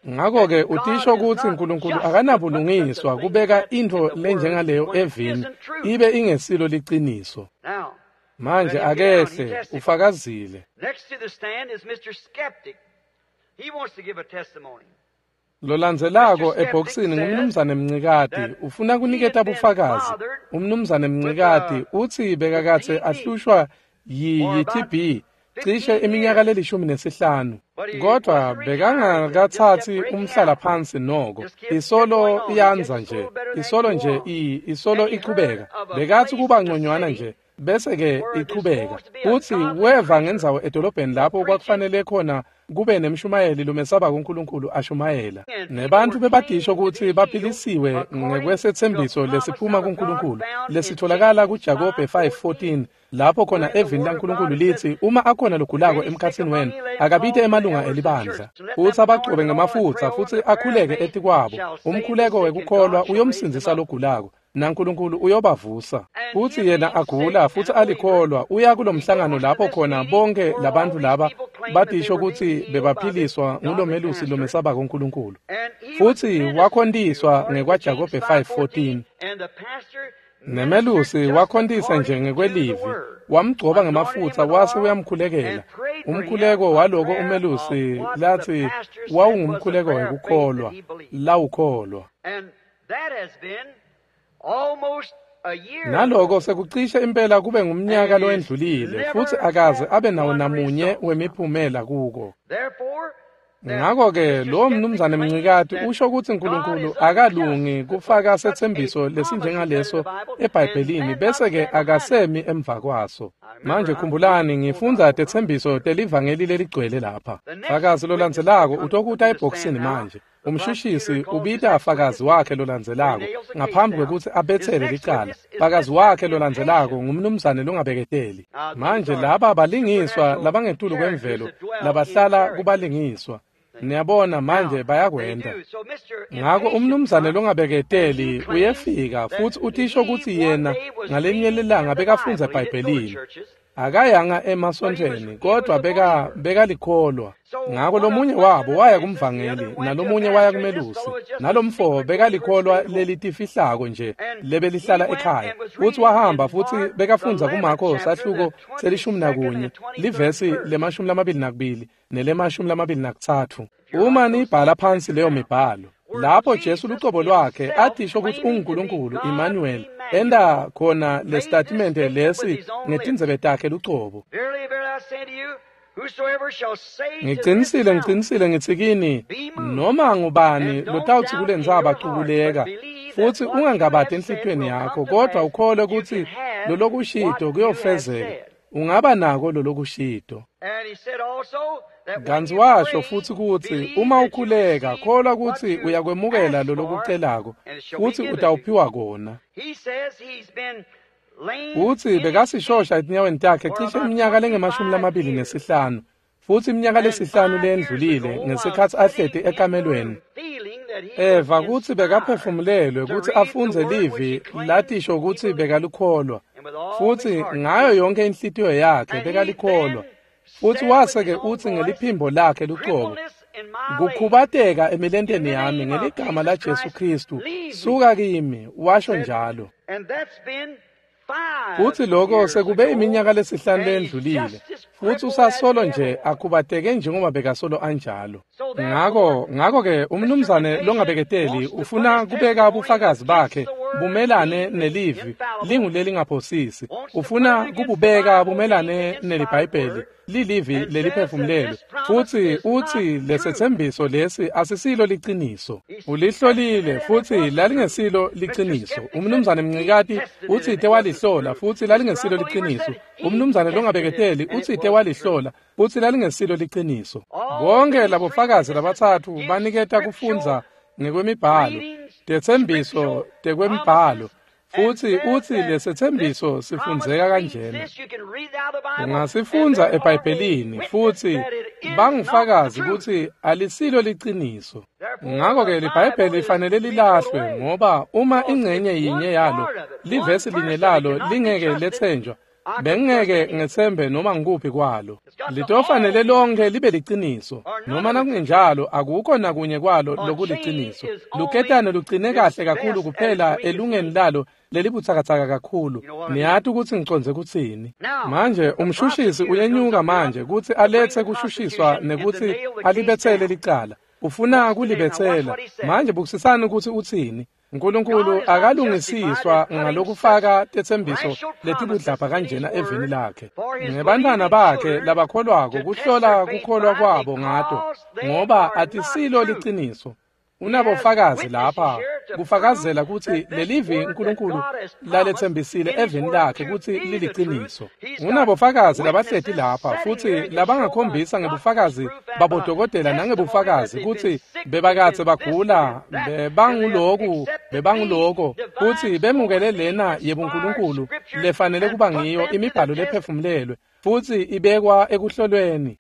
[SPEAKER 1] Ngakho-ke utisho kutsi uNkulunkulu akanabulungiswa kubeka intfo lenjengaleyo evini ibe ingesilo liciniso. Manje akehle ufakazile. Lolandzelako ebhokisini ngumnumzane Mncikati, ufuna kuniketa bufakazi. Umnumzane Mncikati utsi bekakadze ahlushwa yi-TB cishe iminyaka le-15, kodvwa bekangakathatsi umhlala phansi noko. Isolo iyandza nje, isolo nje isolo ichubeka. Bekatsi kuba ngconywana nje bese ke ichubeka. Futsi weva ngendzawo edolobheni lapho kwakufanele khona kube nemshumayeli lomesaba kuNkulunkulu ashumayela. Nebantfu bebadisho kutsi baphilisiwe ngekwesetsembiso lesiphuma kuNkulunkulu lesitholakala kuJakobe 5:14, lapho khona evini laNkulunkulu litsi uma akhona logulako emkhatsini wenu akabite emalunga elibandla, futsi abagcobe ngemafutsa futsi akhuleke etikwabo. Umkhuleko wekukholwa uyomsindzisa logulako, naNkulunkulu uyobavusa. Futsi yena agula futsi alikholwa, uya kulomhlangano lapho khona bonke labantfu laba badisho kutsi bebaphiliswa ngulomelusi lomesabako uNkulunkulu. Futsi wakhontiswa ngekwaJakobe 5:14. Nemelusi wakhontisa nje ngekwelivi, wamgcoba ngemafutsa wase uyamkhulekela. Umkhuleko waloko umelusi lathi wawungumkhuleko wekukholwa, lawukholwa. Naloko sekucishe impela kube ngumnyaka lowendlulile, futsi akaze abe nawo namunye wemiphumela kuko. Ngakho-ke lowo mnumzane Mncikati usho kutsi uNkulunkulu akalungi kufaka setsembiso lesinjengaleso eBhayibhelini bese-ke akasemi emva kwaso. Manje khumbulani, ngifundza tetsembiso telivangeli leligcwele lapha. Fakazi lolandzelako utokuta ebhokisini manje. Umshushisi ubita fakazi wakhe lolandzelako ngaphambi kwekutsi abetsele licala. Fakazi wakhe lolandzelako ngumnumzane longabeketeli. Manje laba balingiswa labangetulu kwemvelo labahlala kubalingiswa. Niyabona manje bayakwenta. Ngako umnumzane longabeketeli uyefika futsi utisho kutsi yena ngalenye lilanga bekafundza eBhayibhelini. Akayanga emasontfweni kodwa bekalikholwa. Ngako lomunye wabo waya kumvangeli nalomunye waya kumelusi. Nalomfo bekalikholwa lelitifihlako nje lebelihlala ekhaya. Futsi wahamba futsi bekafundza kuMarko sahluko se-11 livesi le-22 nele-23. Uma nibhala phansi leyo mibhalo, lapho Jesu lucobo lwakhe atisho kutsi unguNkulunkulu Emmanuel, enda khona lesitatimende lesi ngetindzebe takhe lucobo. Ngicinisile, ngicinisile ngitsi kini, noma ngubani lotawutsi kule ndzaba cukuleka, futsi ungangabati enhlitiyweni yakho, kodvwa ukholwe kutsi lolokushito kuyofezeka, ungaba nako lolokushito. Kantsi washo futsi kutsi uma ukhuleka, kholwa kutsi uyakwemukela lolokucelako, futsi utawuphiwa kona. Utsi bekasishosha etinyaweni takhe cishe iminyaka lengama-25, futsi iminyaka lesihlanu leyendlulile ngesikhatsi ahleti ekamelweni. Eva kutsi bekaphefumulelwe kutsi afundze livi latisho kutsi bekalikholwa, futsi ngayo yonke inhlitiyo yakhe bekalikholwa. Futsi wase-ke utsi ngeliphimbo lakhe lucobo, "Kukhubateka emilenteni yami ngeligama laJesu Khristu, suka kimi," washo njalo. Futsi lokho sekube iminyaka lesihlanu leyendlulile, futsi usasolo nje akhubateke njengoba bekasolo anjalo. Ngakho-ke umnumzane longabeketeli ufuna kubeka bufakazi bakhe bumelane nelivi lingulelingaphosisi. Ufuna kububeka bumelane neliBhayibheli lilivi leliphefumulelwe, futsi utsi lesetsembiso lesi asisilo liciniso. Ulihlolile futsi lalingesilo liciniso. Umnumzane Mncikati utsite walihlola futsi lalingesilo liciniso. Umnumzane longabeketeli utsite walihlola futsi lalingesilo liciniso. Bonke labofakazi labatsatfu baniketa kufundza ngekwemibhalo, tetsembiso tekwemibhalo, futsi utsi lesetsembiso sifundzeka kanjena. Ungasifundza eBhayibhelini futsi bangufakazi kutsi alisilo liciniso. Ngakho-ke liBhayibheli lifanele lilahlwe, ngoba uma ingcenye yinye yalo, livesi linye lalo lingeke letsenjwa, bengeke ngetsembe noma ngikuphi kwalo. Litofanele lonke libe liciniso, noma nakungenjalo akukho nakunye kwalo lokuliciniso. Luketane lugcine kahle kakhulu kuphela elungeni lalo lelibutsakatsaka kakhulu. Niyati kutsi ngicondze kutsini. Manje umshushisi uyenyuka manje kutsi aletse kushushiswa nekutsi alibetsele licala. Ufuna kulibetsela. Manje bukisisani kutsi utsini. Nkulunkulu akalungisiswa ngalokufaka tetsembiso letibudlabha kanjena evini lakhe. Ngebantfwana bakhe labakholwako kuhlola kukholwa kwabo ngato, ngoba atisilo liciniso. Unabofakazi lapha kufakazela kutsi lelivi Nkulunkulu laletsembisile evini lakhe kutsi liliciniso. Unabofakazi labahleti lapha futsi labangakhombisa ngebufakazi babodokotela nangebufakazi kutsi bebakadze bagula, bebanguloku, bebanguloko, kutsi bemukele lena yebuNkulunkulu lefanele kuba ngiyo imibhalo lephefumulelwe futsi ibekwa ekuhlolweni.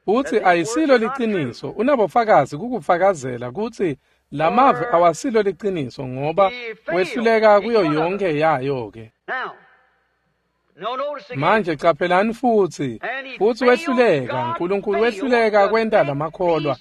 [SPEAKER 1] Utsi ayisilo liciniso. Unabofakazi kukufakazela kutsi lamavi awasilo liciniso, ngoba wehluleka kuyo yonke yayo-ke. Manje caphelani futsi wehluleka. Nkulunkulu wehluleka kwenta lamakholwa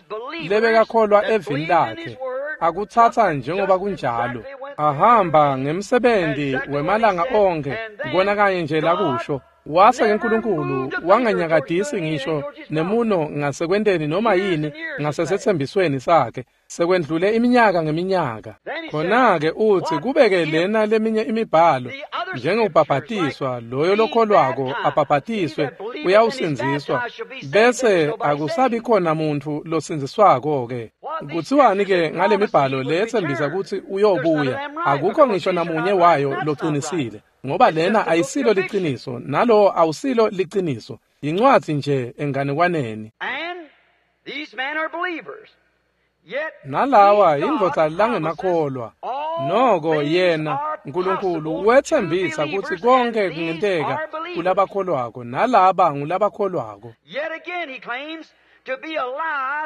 [SPEAKER 1] lebekakholwa evini lakhe akutsatsa njengoba kunjalo, ahamba ngemsebenzi wemalanga onkhe kona kanye nje lakusho. Wase-ke Nkulunkulu wanganyakadisi ngisho nemuno ngasekwenteni noma yini ngasesetsembisweni sakhe sekwendlule iminyaka ngeminyaka. Khona-ke utsi kubeke lena leminye imibhalo njengokubhabhatiswa, loyo lokholwako abhabhatiswe uyawusindziswa, bese akusabi khona muntfu losindziswako-ke. Kutsiwani-ke ngale mibhalo leyetsembisa kutsi uyobuya? Akukho ngisho namunye wayo locinisile, ngoba lena ayisilo liciniso, nalowo awusilo liciniso. Yincwadzi nje enganekwaneni. Nalawa indvodza langemakholwa. Noko yena Nkulunkulu wetsembisa kutsi konke kungenteka kulabakholwako, nalaba ngulabakholwako.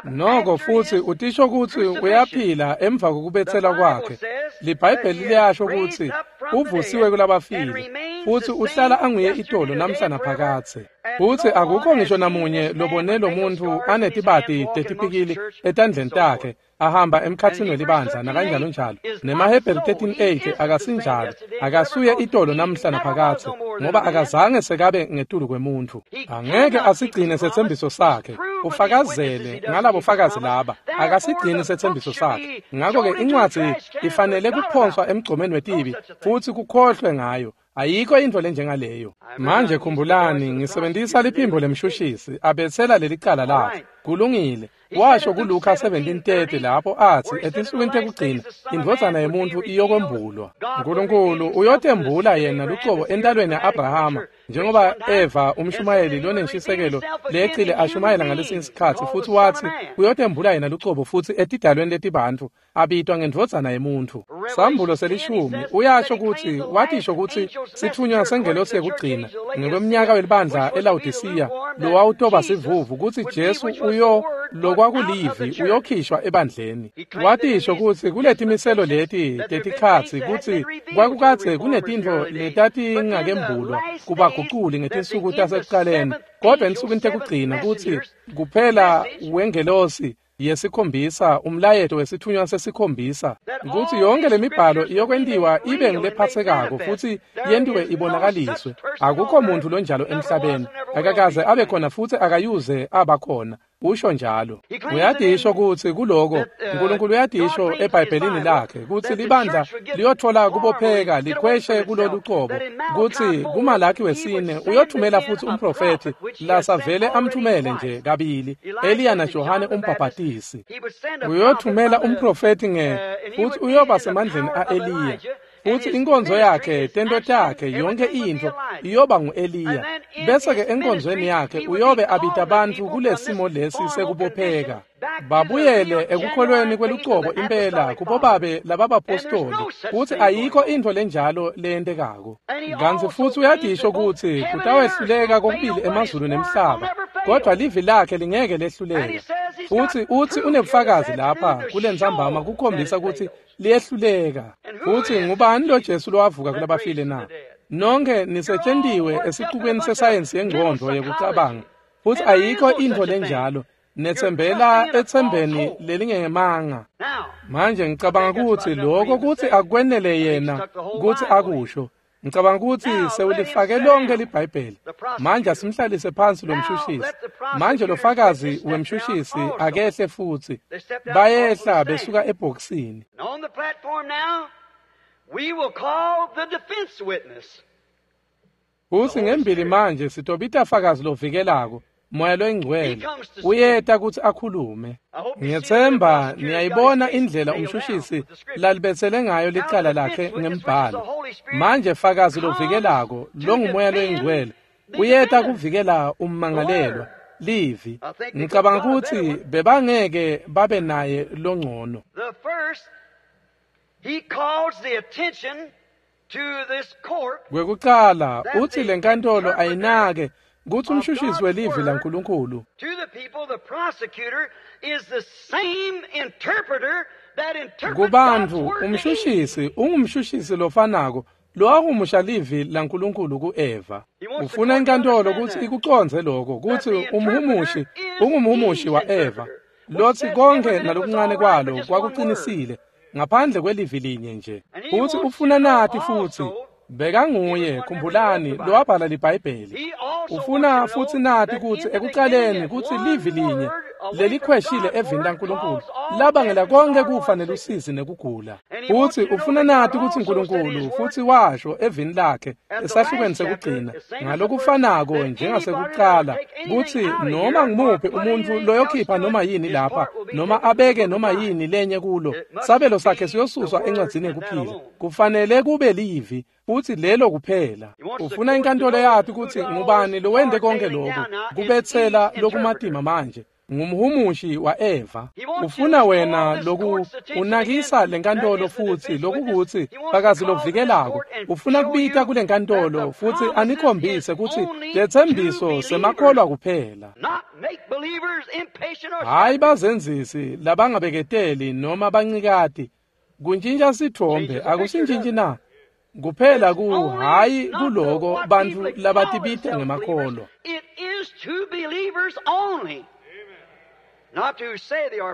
[SPEAKER 1] Noko futsi utisho kutsi uyaphila emva kokubetselwa kwakhe. LiBhayibheli liyasho kutsi uvusiwe kulabafile, futsi uhlala anguye itolo namhla naphakadze. Futsi akukho ngisho namunye lobone lo muntfu anetibati tetipikili etandleni takhe ahamba emkhatsini welibandla nakanjalo njalo. NemaHebheru 13:8 akasinjalo, akasuye itolo namhla naphakadze, ngoba akazange sekabe ngetulu kwemuntfu. Angeke asigcine setsembiso sakhe. Ufakazele ngalabo fakazi laba, akasigcini setsembiso sakhe. Ngakho-ke incwadzi ifanele kuphonswa emgcomeni wetibi futsi kukhohlwe ngayo. Ayikho intfo lenjengaleyo. Manje khumbulani, ngisebentisa liphimbo lemshushisi abetsela lelicala lakhe. Kulungile. Washo kuLuka 17:30 lapho athi etinsukwini tekugcina indvodzana yemuntfu iyokwembulwa. Nkulunkulu uyotembula yena lucobo entalweni ya-Abrahama, njengoba Eva umshumayeli lonenshisekelo lecile ashumayela ngalesinye isikhatsi, futsi watsi uyotembula yena lucobo futsi etidalweni letibantfu abitwa ngendvodzana yemuntfu. Sambulo selishumi uyasho kutsi watisho kutsi sitfunywa sengelosi yekugcina ngekwemnyaka welibandla eLawodisiya lowawutoba sivuvu kutsi Jesu uyo lokwakulivi uyokhishwa ebandleni. Watisho kutsi kuletimiselo leti tetikhatsi kutsi kwakukadze kunetintfo letatingakembulwa kubaguculi ngetinsuku tasekuqaleni, kodwa ensukwini tekugcina kutsi kuphela wengelosi yesikhombisa umlayeto wesithunywa sesikhombisa kutsi yonke lemibhalo iyokwentiwa ibe ngulephatsekako futsi yentiwe ibonakaliswe. Akukho muntu lonjalo emhlabeni, akakaze abe khona futsi akayuze abakhona, usho njalo. Uyadisho kutsi kuloko Nkulunkulu uyadisho eBhayibhelini lakhe kutsi libandla liyothola kubopheka likhweshe kulolu cobo, kutsi kuMalaki wesine uyothumela futsi umprofethi lasavele amthumele nje kabili, Eliya naJohane umbhabhatisi. Uyothumela umprofethi nge futsi uyoba semandleni a-Eliya, futsi inkonzo yakhe, tento takhe, yonke intfo iyoba ngu-Eliya. Bese-ke enkonzweni yakhe uyobe abita bantfu kulesimo lesi sekubopheka, babuyele ekukholweni kwelucobo impela kubobabe lababapostoli, kutsi ayikho intfo lenjalo leyentekako. Kantsi futsi uyadisho kutsi kutawehluleka kokubili emazulu nemhlaba, kodwa livi lakhe lingeke lehluleke. Futsi utsi unebufakazi lapha kulentsambama kukhombisa kutsi liyehluleka. Futsi ngubani lo Jesu lowavuka kulabafile na? Nonke nisetshentiwe esicukweni sesayensi yengcondvo yekucabanga, futsi ayikho intfo lenjalo. Netsembela etsembeni lelingemanga. Manje ngicabanga kutsi lokho kutsi akwenele yena kutsi akusho. Ngicabanga kutsi sewulifake lonke liBhayibheli. Manje asimhlalise phansi lo mshushisi. Manje lo fakazi wemshushisi akehle futsi. Bayehla besuka ebhokisini. Futsi ngembili manje sitobita fakazi lovikelako, Moya loyingcwele, uyeta kutsi akhulume. Ngiyethemba niyayibona indlela umshushisi lalibetsele ngayo licala lakhe ngembhalo. Manje fakazi lovikelako longumoya loyingcwele uyeta kuvikela ummangalelwa, livi. Ngicabanga kutsi bebangeke babe naye longcono. Kwekucala utsi lenkantolo ayinake kutsi umshushisi welivi laNkulunkulu kubantfu, umshushisi ungumshushisi lofanako lowahumusha livi laNkulunkulu ku-Eva. Ufuna inkantolo kutsi ikucondze lokho kutsi umhumushi ungumhumushi wa-Eva lotsi konke nalokuncane kwalo kwakuqinisile ngaphandle kwelivi linye nje. Futsi ufuna nati futsi bekanguye, khumbulani, lowabhala liBhayibheli. Ufuna futsi nati kutsi ekuqaleni kutsi livi linye lelikhweshile evini laNkulunkulu labangela konke kufa nelusizi nekugula. Futsi ufuna nati kutsi Nkulunkulu futsi washo evini lakhe esahlukweni sekugcina ngalokufanako njengasekuqala kutsi noma ngumuphi umuntfu loyokhipha noma yini lapha noma abeke noma yini lenye kulo, sabelo sakhe siyosuswa encwadzini yekuphila. Kufanele kube livi futsi lelo kuphela. Ufuna inkantolo yathi kutsi ngubani lowente konke lokhu kubetsela lokumatima manje ngumhumushi wa-Eva. Ufuna wena loku unakisa lenkantolo futsi lokukutsi fakazi lovikelako. Ufuna kubita kulenkantolo futsi anikhombise kutsi letsembiso semakholwa kuphela, hhayi bazenzisi labangabeketeli noma bancikati. Kuntjintja sitfombe akusintjintji na? Kuphela ku hhayi kuloko bantfu labatibita ngemakholwa.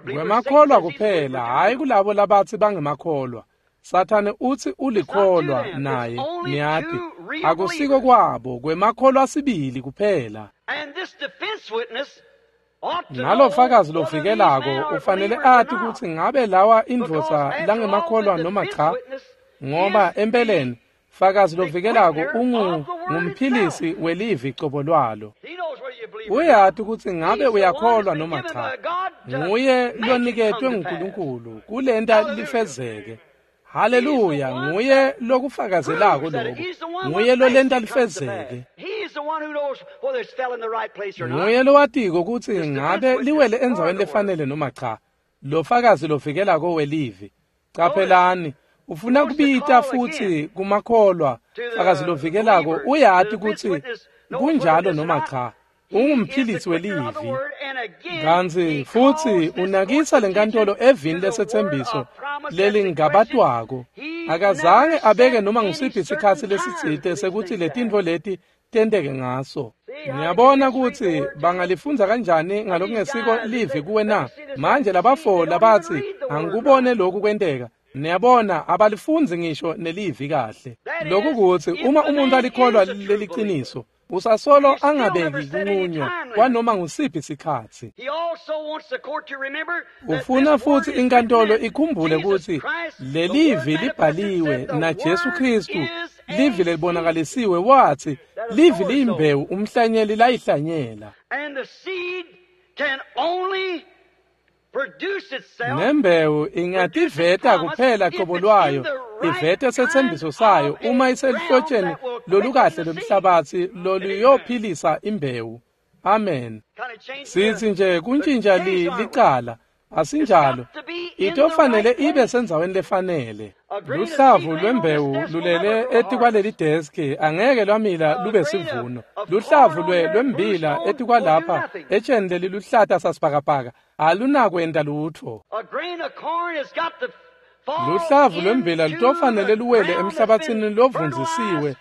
[SPEAKER 1] Kwemakholwa kuphela, hhayi kulabo labatsi bangemakholwa. Sathane utsi ulikholwa naye, niyati. Akusiko kwabo, kwemakholwa sibili kuphela. Nalo fakazi lovikelako ufanele ati kutsi ngabe lawa indvodza langemakholwa noma cha, ngoba empeleni fakazi lovikelako ungumphilisi welivi cobo lwalo. Uyati kutsi ngabe uyakholwa noma cha. Nguye loniketwe nguNkulunkulu kulenta lifezeke. Haleluya, nguye lokufakazelako lokho. Nguye lolenta lifezeke. Nguye lowatiko kutsi ngabe liwele endzaweni lefanele noma cha. Lo fakazi lovikelako welivi. Caphelani, ufuna kubita futsi kumakholwa. Fakazi lovikelako uyati kutsi kunjalo noma cha. Ungumphilisi welivi. Kantsi futsi unakisa lenkantolo evini lesethembiso lelingabatwako. Akazange abeke noma ngusiphi sikhatsi lesitsite sekuthi letintfo leti tenteke ngaso. Ngiyabona kutsi bangalifundza kanjani ngalokungesiko livi kuwe na. Manje labafo labatsi angikubone lokhu kwenteka. Niyabona abalifundzi ngisho nelivi kahle. Lokhu kutsi uma umuntu alikholwa leliciniso, usasolo angabeki kunqunywa kwanoma ngusiphi sikhatsi. Ufuna futsi inkantolo ikhumbule kutsi lelivi libhaliwe na Jesu Kristu, livi lelibonakalisiwe wathi livi liyimbewu umhlanyeli layihlanyela. Nembewu ingativeta kuphela qobo lwayo, ivete sethembiso sayo uma iselihlotsheni lolukahle lomhlabatsi loluyophilisa imbewu. Amen. Sithi nje kuntshintsha licala, asinjalo. Itofanele ibe sendzaweni lefanele. Luhlavu lwembewu lulele etikwaleli deski angeke lwamila lube sivuno. Luhlavu lwembila etikwalapha etsheni leliluhlata sasibhakabhaka alunakwenta lutho. Luhlavu lwembila lutofanele luwele emhlabatsini lovundzisiwe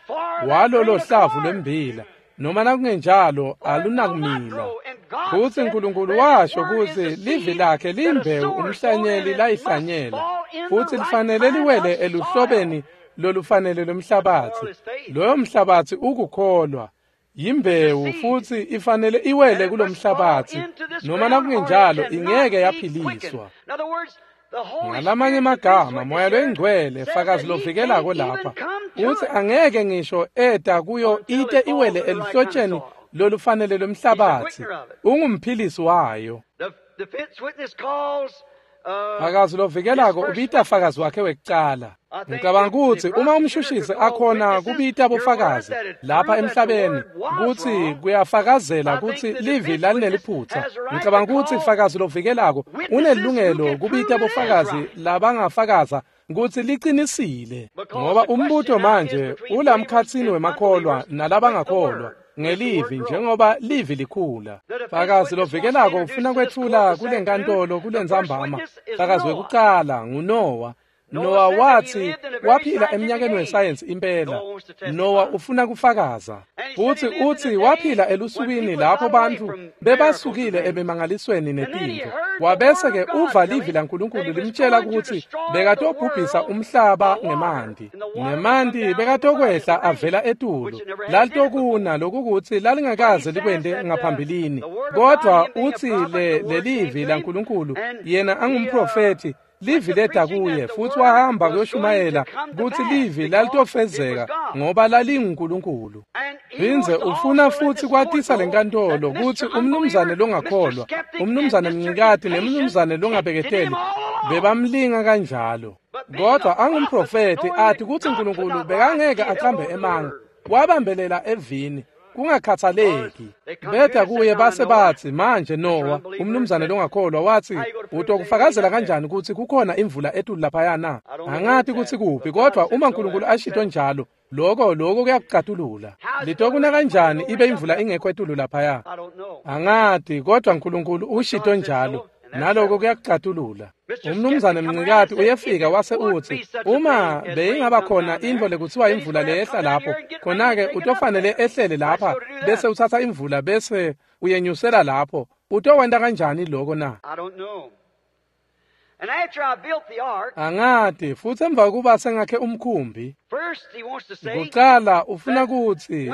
[SPEAKER 1] walolo hlavu lwembila, noma nakungenjalo alunakumila. Futsi Nkulunkulu washo kutsi livi lakhe liyimbewu umhlanyeli layihlanyela, futsi lifanele liwele eluhlobeni lolufanele lomhlabatsi. Loyo mhlabatsi ukukholwa. Yimbewu futsi ifanele iwele kulomhlabatsi, noma nakungenjalo ingeke yaphiliswa. Ngalamanye amagama, Moya loyingcwele fakazi lovikelako lapha utsi angeke ngisho eta kuyo ite iwele eluhlotsheni lolufanele lomhlabatsi. Ungumphilisi wayo. Fakazi lovikelako ubita fakazi wakhe wekucala. Ngicabanga kutsi uma umshushisi akhona kubita bofakazi lapha emhlabeni kutsi kuyafakazela kutsi livi lalineliphutsa. Ngicabanga kutsi fakazi lovikelako unelungelo kubita bofakazi labangafakaza kutsi liqinisile, ngoba umbuto manje ulamkhatsini wemakholwa nalabangakholwa ngelivi njengoba livi likhula. Fakazi lovikelako ufuna kwetfula kulenkantolo kulentsambama. Fakazi wekucala nguNowa. Nowa wathi waphila eminyakeni wesayensi impela. Nowa ufuna kufakaza. Futsi utsi waphila elusukwini lapho bantfu bebasukile ebemangalisweni netintfo. Wabese-ke uva livi laNkulunkulu limtshela kutsi bekatobhubhisa umhlaba ngemanti. Ngemanti bekatokwehla avela etulu. Lalitokuna lokukutsi lalingakaze likwente ngaphambilini. Kodwa utsi lelivi laNkulunkulu yena angumprofethi, livi leda kuye futsi wahamba kuyoshumayela kutsi livi lalitofezeka ngoba lalinguNkulunkulu. Phindze ufuna futsi kwatisa lenkantolo kutsi umnumzane longakholwa, umnumzane Mncikati nemnumzane longabeketeli bebamlinga kanjalo. Kodwa angumprofethi athi kutsi uNkulunkulu bekangeke aqambe emanga, wabambelela evini kungakhathaleki. Beda kuye base batsi manje Nowa, umnumzane longakholwa, wathi utokufakazela kanjani kutsi kukhona imvula etulu laphaya na? Angati kutsi kuphi, kodwa uma uNkulunkulu ashito njalo, lokho kuyakucatulula. Litokuna kanjani ibe imvula ingekho etulu laphaya? Angati, kodwa uNkulunkulu ushito njalo, naloko kuyakucatulula. Umnumzane Mncikati uyefika wase utsi uma beyingaba khona intfo lekuthiwa imvula leyehla lapho, khona-ke utofanele ehlele lapha bese utsatsa imvula bese uyenyusela lapho. Utowenta kanjani lokho na? Angati. Futsi emva kokuba sengakhe umkhumbi, kucala ufuna kutsi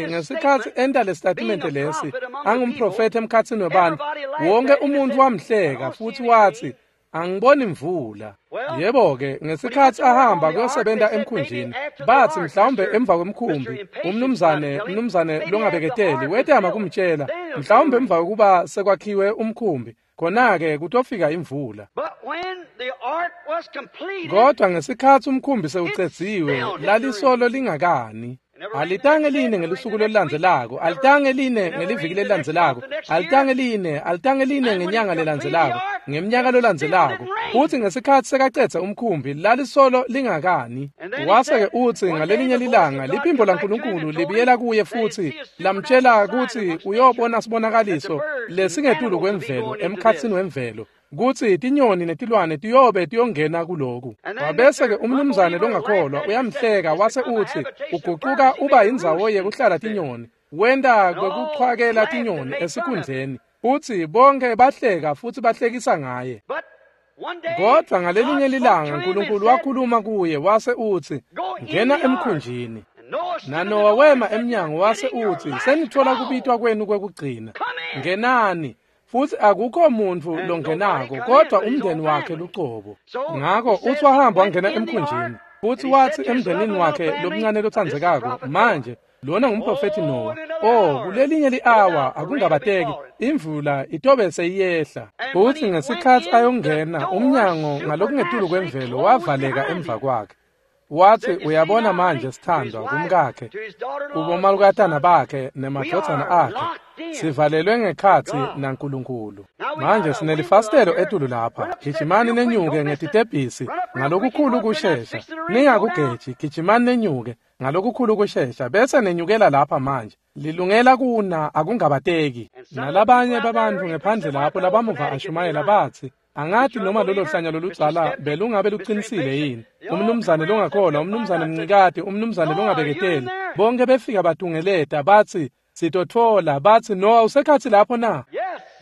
[SPEAKER 1] ngesikhatsi enta lesitatimende lesi angumprofethi emkhatsini webantfu, wonke umuntu wamhleka futsi wathi Angiboni imvula. Yebo-ke, ngesikhatsi ahamba kuyosebenta emkhunjini, batsi mhlawumbe emva kwemkhumbi, umnumzane longabeketeli wetama kumtjela, mhlawumbe emva kokuba sekwakhiwe umkhumbi, khona-ke kutofika imvula. Kodwa ngesikhatsi umkhumbi sewucedziwe, lalisolo lingakani. Alitange line ngelusuku lolulandzelako, alitange line ngeliviki lelilandzelako, alitange line ngenyanga lelandzelako, ngemnyaka lolandzelako. Futsi ngesikhatsi sekacedze umkhumbi, lalisolo lingakani. Wase-ke utsi ngalelinye lilanga liphimbo laNkulunkulu libuyela kuye futsi lamtjela kutsi uyobona sibonakaliso lesingetulu kwemvelo emkhatsini wemvelo, kutsi tinyoni netilwane tiyobe tiyongena kuloku. Wabese-ke umnumzane longakholwa uyamhleka wase utsi ugucuka uba indzawo yekuhlala tinyoni, wenta kwekuchwakela tinyoni esikhundleni. Futsi bonke bahleka futsi bahlekisa ngaye. Kodwa ngalelinye lilanga uNkulunkulu wakhuluma kuye wase utsi, ngena emkhunjini. NaNowa wema emnyango wase utsi, senitfola kubitwa kwenu kwekugcina. Ngenani. Futsi akukho muntfu longenako kodwa umndeni wakhe lucobo. Ngako utsi wahamba wangena emkhunjini, futsi watsi emndenini wakhe lomncane lotsandzekako, manje lona ngumprofethi Nowa. Oh, kulelinye li-awa akungabateki imvula itobe seyiyehla. Futsi ngesikhatsi ayongena, umnyango ngalokungetulu kwemvelo wavaleka emva kwakhe. Watsi uyabona manje sithandwa kumkakhe, kubomalukatana bakhe nemadvodzana akhe, sivalelwe ngekhatsi naNkulunkulu. Manje sinelifasitelo etulu lapha, gijimani nenyuke ngetitebhisi ngalokukhulu kushesha. Ningakugeji, gijimani nenyuke ngalokukhulu kushesha bese nenyukela lapha manje. Lilungela kuna akungabateki. Nalabanye babantu ngephandle lapho labamuva ashumayela batsi, angathi noma lolo hlanya loludzala belungabe luqinisile yini. Umnumzane longakholwa, umnumzane mncikati, umnumzane longabeketeli, bonke befika batungeleta batsi sitotfola, batsi Nowa usekhatsi lapho na?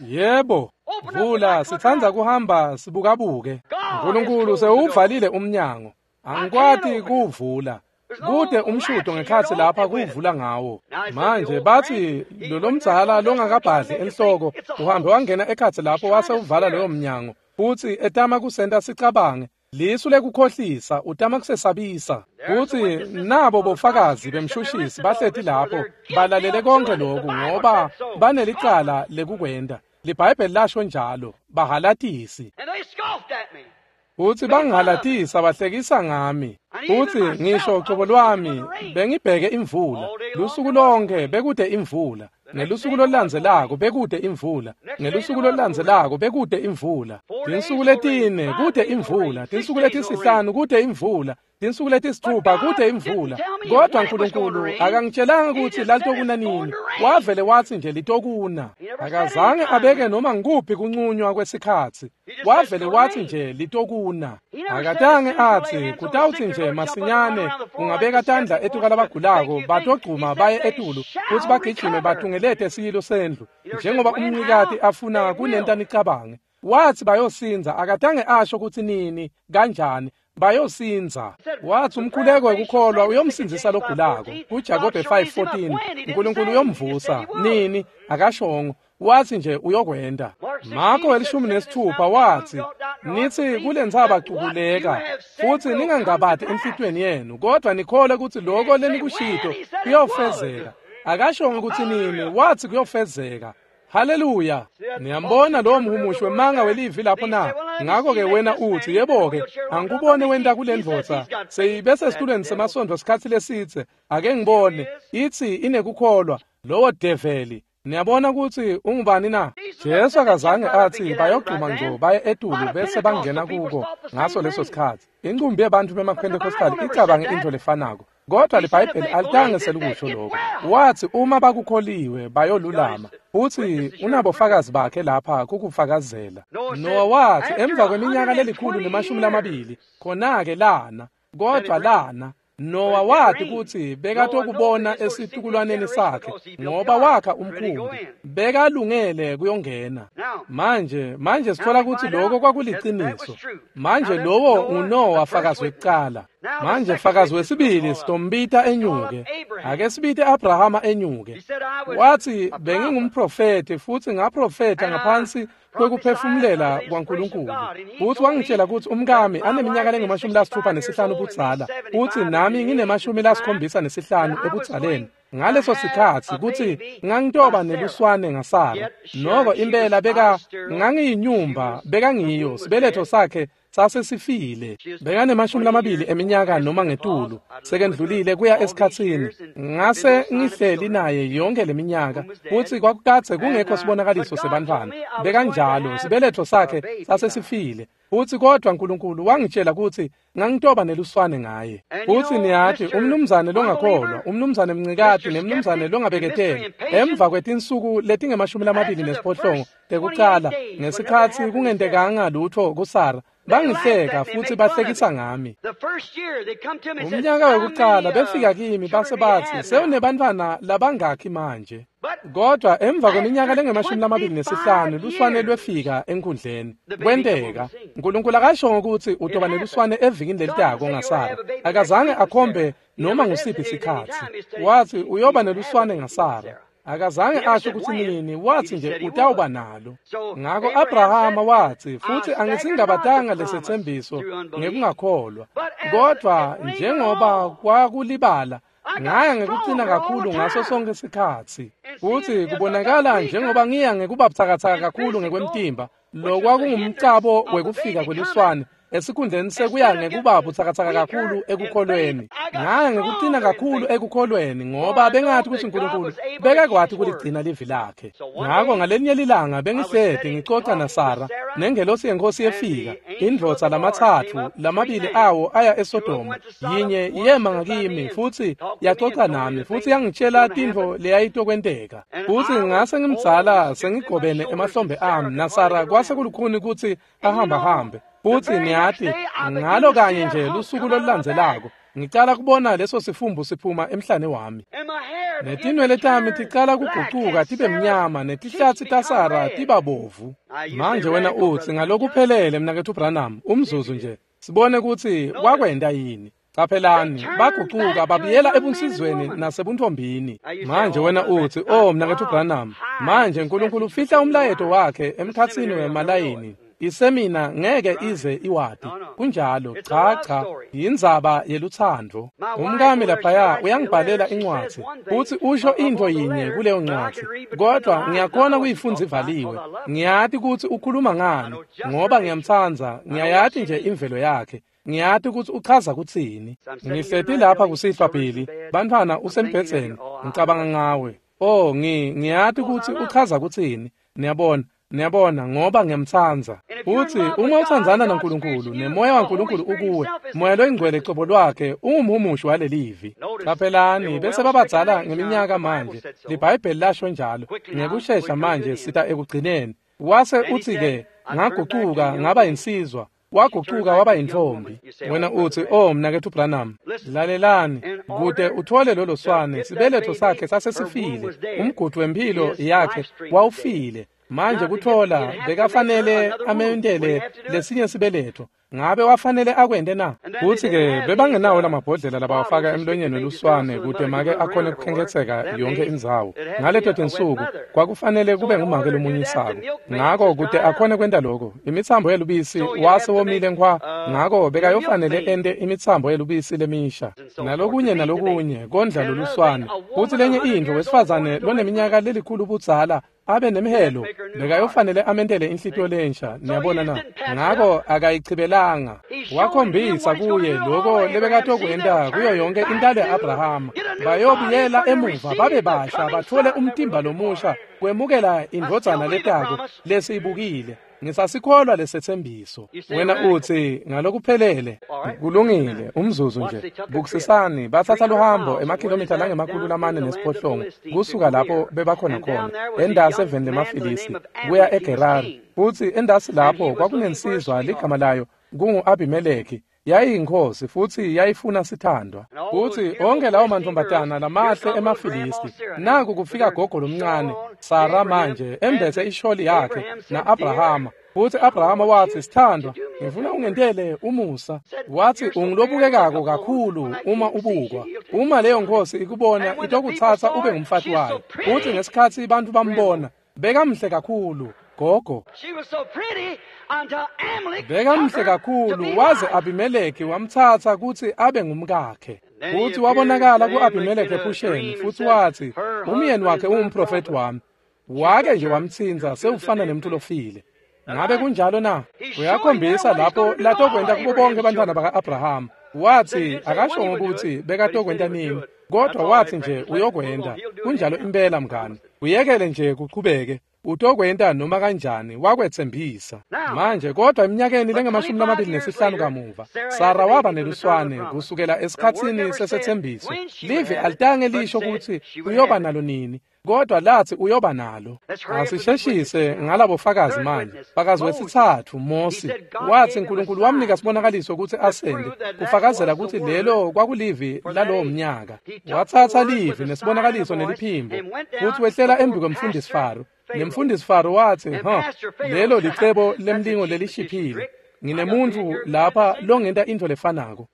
[SPEAKER 1] Yebo. Vula, sitsandza kuhamba sibukabuke. uNkulunkulu sewuvalile umnyango. Angikwati kuwuvula. Kude umshudo ngekhatsi lapha kuwuvula ngawo. Manje batsi lolomdzala longakabhadli enhloko uhambe wangena ekhatsi lapho wase uvala loyo mnyango, futsi etama kusenta sicabange lisu lekukhohlisa, utama kusesabisa. Futsi nabo bofakazi bemshushisi bahleti lapho balalele konke lokhu ngoba banelicala lekukwenta. LiBhayibheli lasho njalo, bahalatisi. Futsi bangihalatisa bahlekisa ngami. Futsi ngisho cobo lwami bengibheke imvula. Lusuku lonke bekude imvula. Ngelusuku lolulandzelako bekude imvula. Ngelusuku lolulandzelako bekude imvula. Tinsuku letine kude imvula. Tinsuku letisihlanu kude imvula. Tinsuku letisithupha kude imvula. Kodwa uNkulunkulu akangitshelanga ukuthi lalitokuna nini. Wavele watsi nje litokuna. Akazange abeke noma ngikuphi kuncunywa kwesikhatsi. Wavele watsi nje litokuna. Akatange atsi kutawutsi nje masinyane ungabeka tandla etuka labagulako batogcuma baye etulu futsi bagijime batungelete siyilo sendlu njengoba umncikati afuna kunenta nicabange. Watsi bayosinza, akatange asho kutsi nini kanjani. Bayosinza. Watsi umkhuleko wekukholwa uyomsindzisa logulako. KuJakobe 5:14 uNkulunkulu uyomvusa. Nini? Akashongo. Watsi nje uyokwenta. Marko 16 watsi, nitsi kulentsaba cukuleka, futsi ningangabati enhlitiyweni yenu, kodwa nikholwe kutsi loko lenikushito kuyofezeka. Akashongo kutsi nini, watsi kuyofezeka. Haleluya. Niyambona lowo mhumushi wemanga welivi lapho na? Ngakho-ke wena utsi, yebo-ke, angikubone wenta kule ndvodza. Seyibe sesitulweni semasontfo sikhatsi lesidze. Ake ngibone. Itsi inekukholwa. Lowo develi. Niyabona kutsi ungubani na? Jesu akazange atsi bayogcuma ngco baye etulu bese bangena kuko ngaso leso sikhatsi. Incumbi yebantfu bemaPentecostal icabange intfo lefanako. Kodwa liBhayibheli alitange selikusho lokho. Watsi uma bakukholiwe bayolulama. Futsi unabofakazi bakhe lapha kukufakazela. Nowa watsi emva kweminyaka 120 khona-ke lana, kodwa lana. Nowa wathi kutsi bekatokubona esitukulwaneni sakhe ngoba wakha umkhumbi, bekalungele kuyongena. Manje sithola kutsi lokho kwakuliciniso. Manje lowo nguNowa fakazi wekucala. Manje fakazi wesibili sitombita enyuke. Ake sibite Abrahama enyuke. Wathi bengingumprofeti futhi ngaprofetha ngaphansi kwekuphefumulela kwaNkulunkulu. Futhi wangitshela ukuthi umkami aneminyaka lengu-65 ubudzala, futhi nami ngine-75 ebudzaleni. Ngaleso sikhatsi kutsi ngangitoba neluswane ngaSara. Noko impela beka ngangiyinyumba bekangiyo, sibeletho sakhe sasesifile. Bekane-20 eminyaka noma ngetulu, sekendlulile kuya esikhatsini. Ngase ngihleli naye yonke leminyaka, futsi kwakukadze kungekho sibonakaliso sebantfwana. Bekanjalo, sibeletho sakhe sasesifile. Futsi kodwa Nkulunkulu wangitshela kutsi ngangitoba neluswane ngaye. Futsi niyati, umnumzane longakholwa, umnumzane Mncikati nemnumzane longabeketeli, emva kwetinsuku letingu-28 tekucala, ngesikhatsi kungentekanga lutfo kuSara, bangihleka futhi bahlekisa ngami. Umnyaka wekucala befika kimi base batsi, sewunebantfwana labangakhi manje? Kodwa emva kweminyaka lengu-25 luswane lwefika enkundleni. Kwenteka. Nkulunkulu akashongo kutsi utoba neluswane evikini lelitako ngaSara. Akazange akhombe noma ngusiphi sikhatsi. Wathi uyoba neluswane ngaSara. Akazange asho kutsi nini, wathi nje utawuba nalo. Ngako Abrahama wathi, futhi angisingabatanga lesetsembiso ngekungakholwa, kodwa njengoba kwakulibala, ngaya ngekucina kakhulu ngaso sonke sikhatsi. Futhi kubonakala njengoba ngiya ngekuba butsakatsaka kakhulu ngekwemtimba, lokwakungumcabo wekufika kweluswane, esikhundleni sekuya ngekuba butsakatsaka kakhulu ekukholweni. Ngaya ngekucina kakhulu ekukholweni ngoba bengathi kutsi Nkulunkulu bekakwati kuligcina livi lakhe. Ngako ngalenye lilanga bengihleti ngicoca naSara, nengelosi yeNkhosi yefika, indvodza lamatsatfu, lamabili awo aya eSodoma, yinye yema ngakimi futhi yacoca nami futhi yangitshela tintfo leyayitokwenteka. Futhi ngase ngimdzala sengigobene emahlombe ami, naSara kwase kulukhuni kutsi ahambahambe. Futhi niyati, ngalo kanye nje lusuku lolulandzelako, ngicala kubona leso sifumbu siphuma emhlane wami. Netinwele tami ticala kugucuka tibe mnyama, netihlatsi taSara tiba bovu. Manje wena utsi ngalokuphelele mnaketfu Branham, umzuzu nje, sibone kutsi wakwenta yini. Caphelani, bagucuka babuyela ebunsizweni nasebuntfombini. Manje wena utsi, oh mnaketfu Branham, manje Nkulunkulu ufihla umlayeto wakhe emkhatsini wemalayini. Isemina ngeke ize iwati. Kunjalo, cha cha, yindzaba yelutsandvo. Umkami laphaya uyangibhalela incwadzi, futsi usho intfo yinye kuleyo ncwadzi, kodwa ngiyakhona kuyifundza ivaliwe. Ngiyati kutsi ukhuluma ngani, ngoba ngiyamtsandza, ngiyayati nje imvelo yakhe. Ngiyati kutsi uchaza kutsini. Ngihleti lapha kusihlwa Billy, bantfwana usembhedzeni, ngicabanga ngawe. Oh, ngiyati kutsi uchaza kutsini. Niyabona. Niyabona, ngoba ngiyamtsandza. Futsi uma utsandzana naNkulunkulu nemoya waNkulunkulu ukuwe, moya loyingcwele cobo lwakhe ungumhumushi walelivi. Caphelani, bese babadzala ngeminyaka manje, liBhayibheli lasho njalo. Ngekushesha manje sita ekugcineni. Wase utsi-ke, ngagucuka ngaba yinsizwa, wagucuka waba yintfombi. Wena utsi, oh mnaketfu Branham, lalelani, kute utfole lolo swane, sibeletho sakhe sasesifile, umgudu wemphilo yakhe wawufile. Manje kuthola bekafanele amentele lesinye sibeletho. Ngabe wafanele akwente na? Futsi-ke bebangenawo lamabhodlela labawafaka emlonyeni weluswane kute make akhone kukhenketseka yonke indzawo. Ngaleto tinsuku kwakufanele kube ngumake lomunyisako. Ngako kute akhone kwenta loko, imitsambo yelubisi wase womile nkhwa, ngako bekayofanele ente imitsambo yelubisi lemisha. Nalokunye nalokunye kondla loluswane. Futsi lenye intfo, wesifazane loneminyaka lelikhulu budzala abe nemhelo, bekayofanele amentele inhlitiyo lensha. Niyabona na? Ngako akayichibelanga. Wakhombisa kuye loko lebekatokwenta kuyo yonke intalo ya-Abrahama. Bayobuyela emuva babe basha, batfole umtimba lomusha kwemukela indvodzana letako lesiyibukile. Ngisasikholwa lesetsembiso. Wena utsi ngalokuphelele. Kulungile, umzuzu nje. Bukisisani, batsatsa luhambo emakhilomitha langama-408 kusuka lapho bebakhona khona, endasi eveni lemaFilisti, kuya eGerari. Futsi endasi lapho kwakunensizwa ligama layo kungu-Abimeleki. Yayiyinkosi futsi yayifuna sithandwa. Futsi onke lawo mantfombatana lamahle emaFilisti, naku kufika gogo lomncane, Sara manje embethe isholi yakhe na-Abrahama. Futsi Abrahama watsi, "Sithandwa, ngifuna ungentele umusa." Watsi, "Ungilobukekako kakhulu uma ubukwa. Uma leyo nkhosi ikubona itokutsatsa ube ngumfati wayo." Futsi ngesikhatsi bantfu bambona, bekamhle kakhulu, gogo. Bekamhle kakhulu waze Abimeleki wamtsatsa kutsi abe ngumkakhe. Futsi wabonakala ku-Abimeleki ephusheni, futsi watsi, "Umyeni wakhe ungumprofethi wami." Wake nje wamtsintsa sewufana nemuntu lofile. Ngabe kunjalo na? Uyakhombisa lapho latokwenta kubo bonke bantfwana baka-Abrahama. Watsi akashongo kutsi bekatokwenta nini, kodwa watsi nje uyokwenta. Kunjalo impela mngani. Uyekele nje kuchubeke. Utokwenta noma kanjani, wakwetsembisa. Manje kodwa eminyakeni lengamashumi 25 kamuva, Sara waba neluswane kusukela esikhatsini sesethembiso. Livi alitange lisho kutsi uyoba nalo nini, kodwa lathi uyoba nalo. Asisheshise ngalabo fakazi manje. Fakazi wesitsatfu, Mosi, watsi Nkulunkulu wamnika sibonakaliso kutsi asende kufakazela kutsi lelo kwakulivi lalowo mnyaka. Watsatsa livi nesibonakaliso neliphimbo, futsi wehlela embi kwemfundisi Faro. Nemfundisi Faro watsi, "Ha, lelo licebo lemlingo lelishiphile. Nginemuntfu lapha longenta intfo lefanako."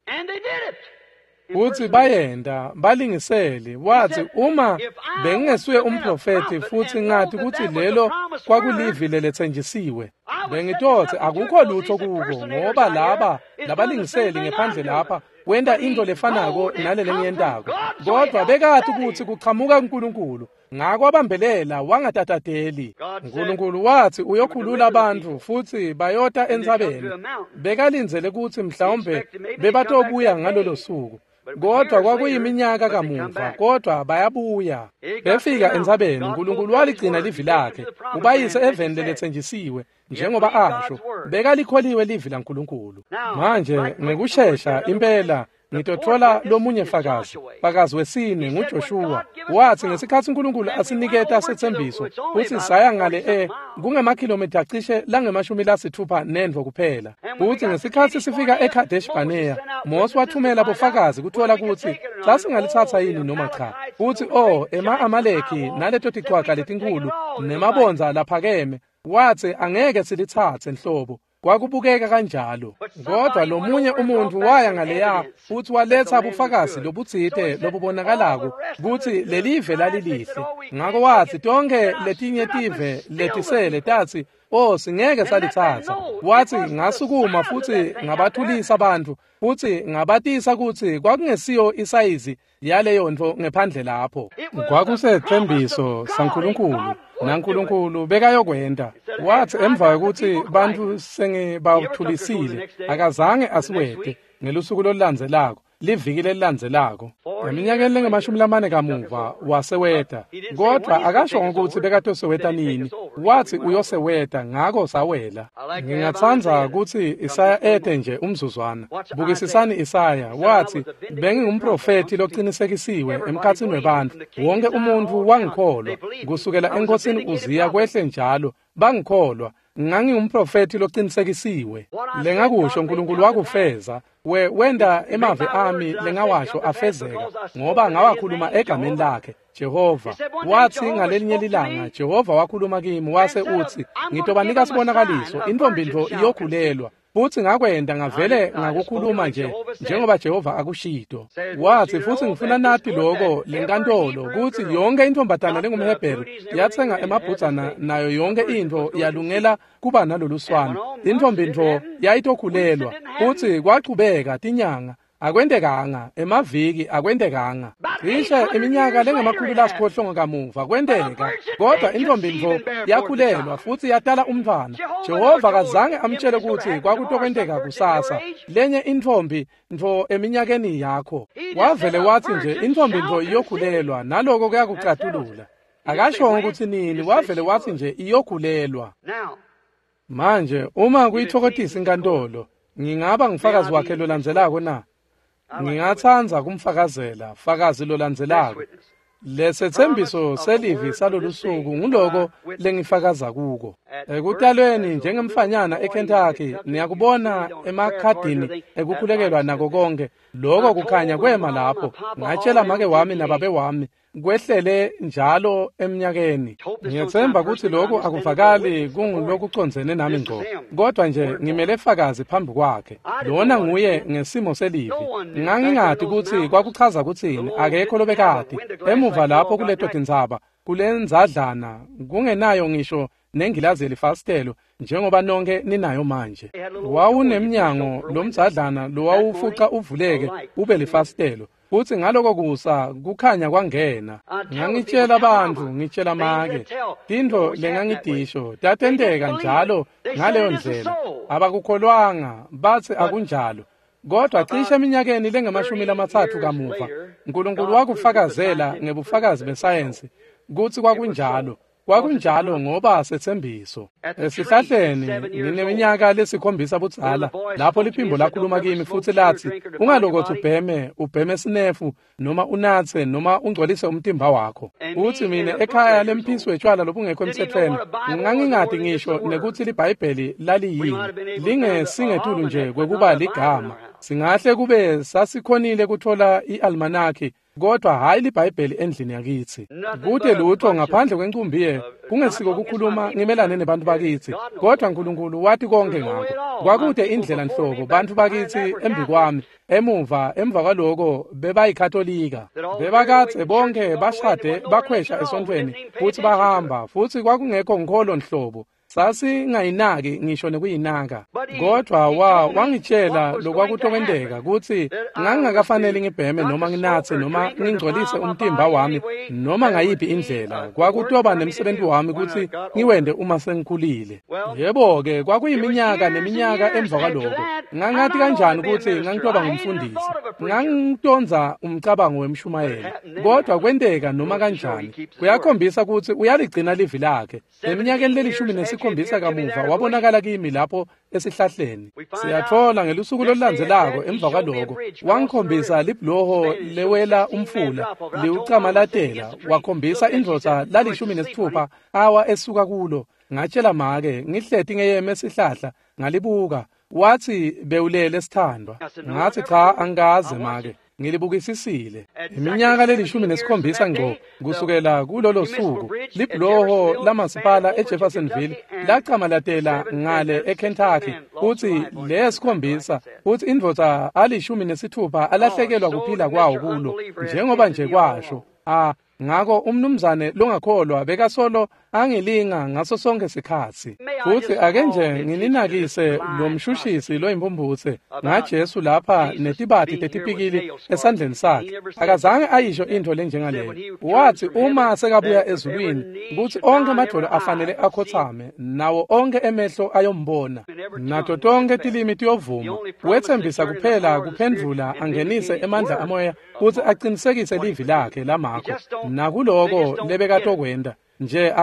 [SPEAKER 1] Futsi bayenta, balingisele. Watsi, "Uma bengingesuye umprofethi futsi ngati kutsi lelo kwakulivi leletsenjisiwe, bengitotsi akukho lutho kuko, ngoba laba labalingiseli ngephandle lapha wenta intfo lefanako nale lengiyentako." Kodwa bekati kutsi kuchamuka kuNkulunkulu, ngako wabambelela wangatatateli. Nkulunkulu watsi uyokhulula bantfu futsi bayota entsabeni. Bekalindzele kutsi mhlawumbe bebatobuya ngalolo suku, kodwa kwakuyiminyaka kamuva, kodwa bayabuya. Befika entsabeni, Nkulunkulu waligcina livi lakhe, ubayise eveni leletsenjisiwe njengoba asho. Bekalikholiwe livi laNkulunkulu. Manje ngekushesha impela ngitotfola lomunye fakazi. Fakazi wesine nguJoshua. Watsi ngesikhatsi Nkulunkulu asiniketa setsembiso, futsi saya ngale kungemakhilomitha cishe langama-60 nentfo kuphela. Futsi ngesikhatsi sifika eKadesh Barnea, Mose wathumela bofakazi kutfola kutsi sasingalitsatsa yini noma cha. Futsi ema-Amaleki naleto tichwaga letinkhulu nemabondza laphakeme, watsi angeke silitsatse nhlobo. Kwakubukeka kanjalo. Kodwa lomunye umuntfu waya ngaleya futsi waletsa bufakazi lobutsite lobubonakalako kutsi lelive lalilihle. Ngako watsi tonkhe letinye tive letisele tatsi, "Oh, singeke salitsatsa." Watsi ngasukuma futsi ngabathulisa bantfu futsi ngabatisa kutsi kwakungesiyo isayizi yaleyo ntfo ngephandle lapho. Kwakusethembiso saNkulunkulu, naNkulunkulu bekayokwenta. Watsi emva kwekutsi bantfu sengibathulisile, akazange asiwete ngelusuku lolulandzelako, liviki lelilandzelako. Eminyakeni lengamashumi 4 kamuva waseweta, kodwa akashongo kutsi bekatoseweta nini. Watsi uyoseweta, ngako sawela. Ngingatsandza kutsi Isaya ete nje umzuzwana. Bukisisani Isaya, watsi, "Bengingumprofethi locinisekisiwe emkhatsini webantfu. Wonke umuntfu wangikholwa, kusukela enkosini Uziya kwehle njalo, bangikholwa. Ngangingumprofethi locinisekisiwe. Lengakusho Nkulunkulu wakufeza. Wenda emavi ami lengawasho afezeka, ngoba ngawakhuluma egameni lakhe, Jehova." Watsi ngalelinye lilanga Jehova wakhuluma kimi wase utsi, "Ngitobanika sibonakaliso, intfombi ntfo iyokhulelwa." Futsi ngakwenta ngavele ngakukhuluma nje njengoba Jehova akushito. Watsi futsi ngifuna nati loko lenkantolo kutsi yonke intfombatana lengumHebheru yatsenga emabhudzana nayo yonke intfo yalungela kuba naloluswane. Intfombi ntfo yayitokhulelwa. Futsi kwachubeka tinyanga, akwentekanga, emaviki akwentekanga. Cishe iminyaka lengama-800 kamuva kwenteka, kodwa intfombi ntfo yakhulelwa futsi yatala umntfwana. Jehova akazange amtjele kutsi kwakutokwenteka kusasa, lenye intfombi ntfo eminyakeni yakho. Wavele watsi nje intfombi ntfo iyokhulelwa, naloko kuyakucatulula. Akashongo kutsi nini, wavele watsi nje iyokhulelwa. Manje uma kuyitfokotisa inkantolo, ngingaba ngufakazi wakhe lolandzelako na? Ngingatsandza kumfakazela, fakazi lolandzelako. Lesethembiso selivi salolusuku nguloko lengifakaza kuko. Ekutalweni njengemfanyana eKentucky, niyakubona emakhadini ekukhulekelwa nako konke. Loko kukhanya kwema lapho. Ngatshela make wami nababe wami. Kwehlele njalo eminyakeni. Ngiyethemba ukuthi lokhu akuvakali kungulokucondzene nami ngqo, kodwa nje ngimele fakazi phambi kwakhe. Lona nguye ngesimo selivi. Ngangingati ukuthi kwakuchaza ukuthini, akekho lobekade emuva lapho kuleto tindzaba, kulenzadlana kungenayo ngisho nengilazi elifasitelo njengoba nonke ninayo manje. Wawunemnyango lomdzadlana lowawufuca uvuleke ube lifasitelo, futhi ngaloko kusa kukhanya kwangena. Ngangitshela abantu, ngitshela make tintfo lengangitisho tatenteka njalo ngaleyo ndlela. Abakukholwanga, bathi akunjalo. Kodwa cishe eminyakeni lengamashumi-30 kamuva, uNkulunkulu wakufakazela ngebufakazi besayensi kutsi kwakunjalo. Kwakunjalo ngoba sethembiso. Esihlahleni ngineminyaka lesikhombisa budzala lapho liphimbo lakhuluma kimi futhi lathi, ungalokothi ubheme sinefu noma unatse noma ungcolise umtimba wakho. Uthi mina ekhaya lemphisi wetshwala lobungekho emthethweni ngangingadi ngisho nekuthi liBhayibheli laliyini, lingesingetulu nje kwekuba ligama. Singahle kube sasikhonile kuthola i-almanaki, kodwa hayi liBhayibheli endlini yakithi. Kude lutho ngaphandle kwencumbi kungesiko ukukhuluma ngimelane nebantu bakithi, kodwa uNkulunkulu wathi konke ngakho. Kwakude indlela nhlobo bantu bakithi embi kwami, emuva emva kwaloko bebayikatolika. Bebakathe bonke bashade bakhwesha esontweni futhi bahamba, futhi kwakungekho nkholo nhlobo. Sasingayinaki ngisho nekuyinaka. Kodwa wangitshela lokwakutokwenteka kutsi ngangingakafanele ngibheme noma nginatse noma ngingcolise umtimba wami noma ngayiphi indlela. Kwakutoba nemsebenzi wami kutsi ngiwende uma sengikhulile. Yebo-ke, kwakuyiminyaka neminyaka emva kwaloko. Ngangathi kanjani kutsi ngangitoba ngumfundisi? Ngangitondza umcabango wemshumayelo. Kodwa kwenteka noma kanjani. Kuyakhombisa kutsi uyaligcina livi lakhe. Eminyakeni leli-17 kamuva wabonakala kimi lapho esihlahleni. Siyathola ngelusuku lolulandzelako emva kwaloko wangikhombisa libhuloho lewela umfula liwucamalatela, wakhombisa indvodza lali-16 awa esuka kulo. Ngatshela make ngihleti ngeyeme esihlahla, ngalibuka. Wathi bewulele sithandwa. Ngathi cha, angikaze make, ngilibukisisile. Iminyaka leli-17 ngqo kusukela kulolo suku, libhuloho lamasipala eJeffersonville lacamalatela ngale eKentucky, futhi lesikhombisa futhi indvodza ali-16 alahlekelwa kuphila kwawo kulo, njengoba nje kwasho. Ngako umnumzane longakholwa bekasolo angilinga ngaso sonke sikhatsi. Futhi ake nje ngininakise lo mshushisi loyimpumputse ngaJesu lapha netibati tetipikili esandleni sakhe. Akazange ayisho intfo lenjengaleyo. Wathi uma sekabuya ezulwini kutsi onkhe emadvolo afanele akhotsame, nawo onkhe emehlo ayombona, nato tonke tilimi tiyovuma. Wetsembisa kuphela kuphendvula angenise emandla amoya kutsi aqinisekise livi lakhe lamakho. Nakuloko lebekatokwenta nje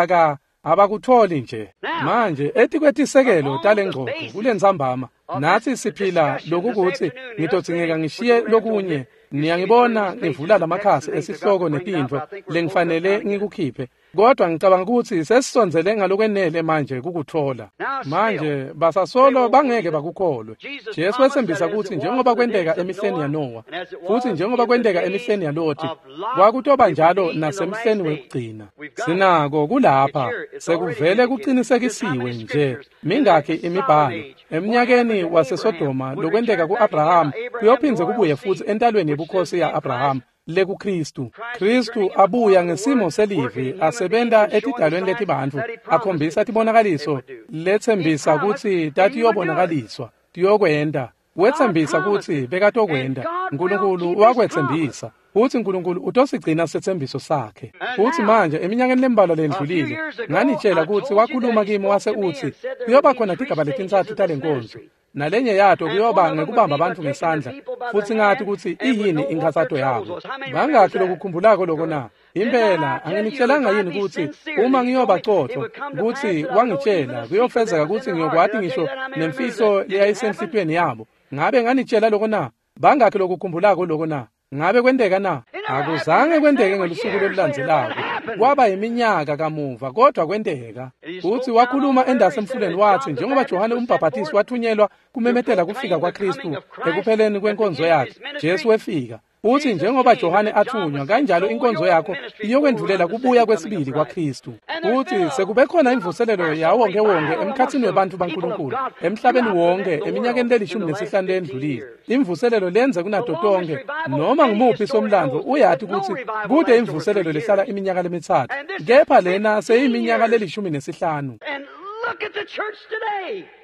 [SPEAKER 1] abakutholi nje. Manje etikwetisekelo talengxoxo kulentsambama nathi siphila lokukuthi ngitodzingeka ngishiye lokunye. Niyangibona ngivula lamakhasi esihloko netintfo lengifanele ngikukhiphe, kodwa ngicabanga ukuthi sesisondzele ngalokwenele manje kukuthola. Manje basasolo bangeke bakukholwe. Jesu wetsembisa ukuthi njengoba kwenteka emihleni yaNowa futhi njengoba kwenteka emihleni yaLoti, kwakutoba njalo nasemhleni wekugcina. Sinako kulapha sekuvele kuqinisekisiwe nje. Mingakhi imibhalo eminyakeni waseSodoma lokwenteka ku-Abraham kuyophindze kubuye futhi entalweni yebukhosi ya-Abraham lekuKristu. Kristu abuya ngesimo selivi asebenta etidalweni letibantfu, akhombisa tibonakaliso letsembisa kutsi tatiyobonakaliswa tiyokwenta. Wetsembisa kutsi bekatokwenta. Nkulunkulu wakwetsembisa futsi Nkulunkulu utosigcina setsembiso sakhe. Futsi manje eminyakeni lembalwa lendlulile nganitshela kutsi wakhuluma kimi wase utsi kuyoba khona tigaba letintsatfu talenkonzo, nalenye yato kuyoba ngekubamba abantu ngesandla, futsi ngathi kutsi iyini inkhatsato yabo. Bangakhi lokukhumbulako loko na? Impela anginitshelanga yini kutsi uma ngiyoba cotfo kutsi wangitshela kuyofezeka kutsi ngiyokwati ngisho nemfihlo leyayisenhlitiyweni yabo? Ngabe nganitshela loko na? Bangakhi lokukhumbulako loko na? Ngabe kwenteka na? Akuzange kwenteke ngelusuku lolulandzelako. Kwaba iminyaka kamuva, kodwa kwenteka. Futhi wakhuluma endasemfuleni wathi njengoba Johane umbhaphatisi wathunyelwa kumemetela kufika kwaKristu ekupheleni kwenkonzo yakhe, Jesu wefika. Futhi njengoba Johane athunywa kanjalo inkonzo yakho iyokwendvulela kubuya kwesibili kwaKristu. Futhi sekube khona imvuselelo yawonke wonke emkhathini webantfu baNkulunkulu emhlabeni wonke eminyakeni leli-15 leyendlulile. Imvuselelo lenze kunato tonke noma ngumuphi somlandvo uyati ukuthi kude imvuselelo lehlala iminyaka lemithathu, kepha lena seyiminyaka leli-15.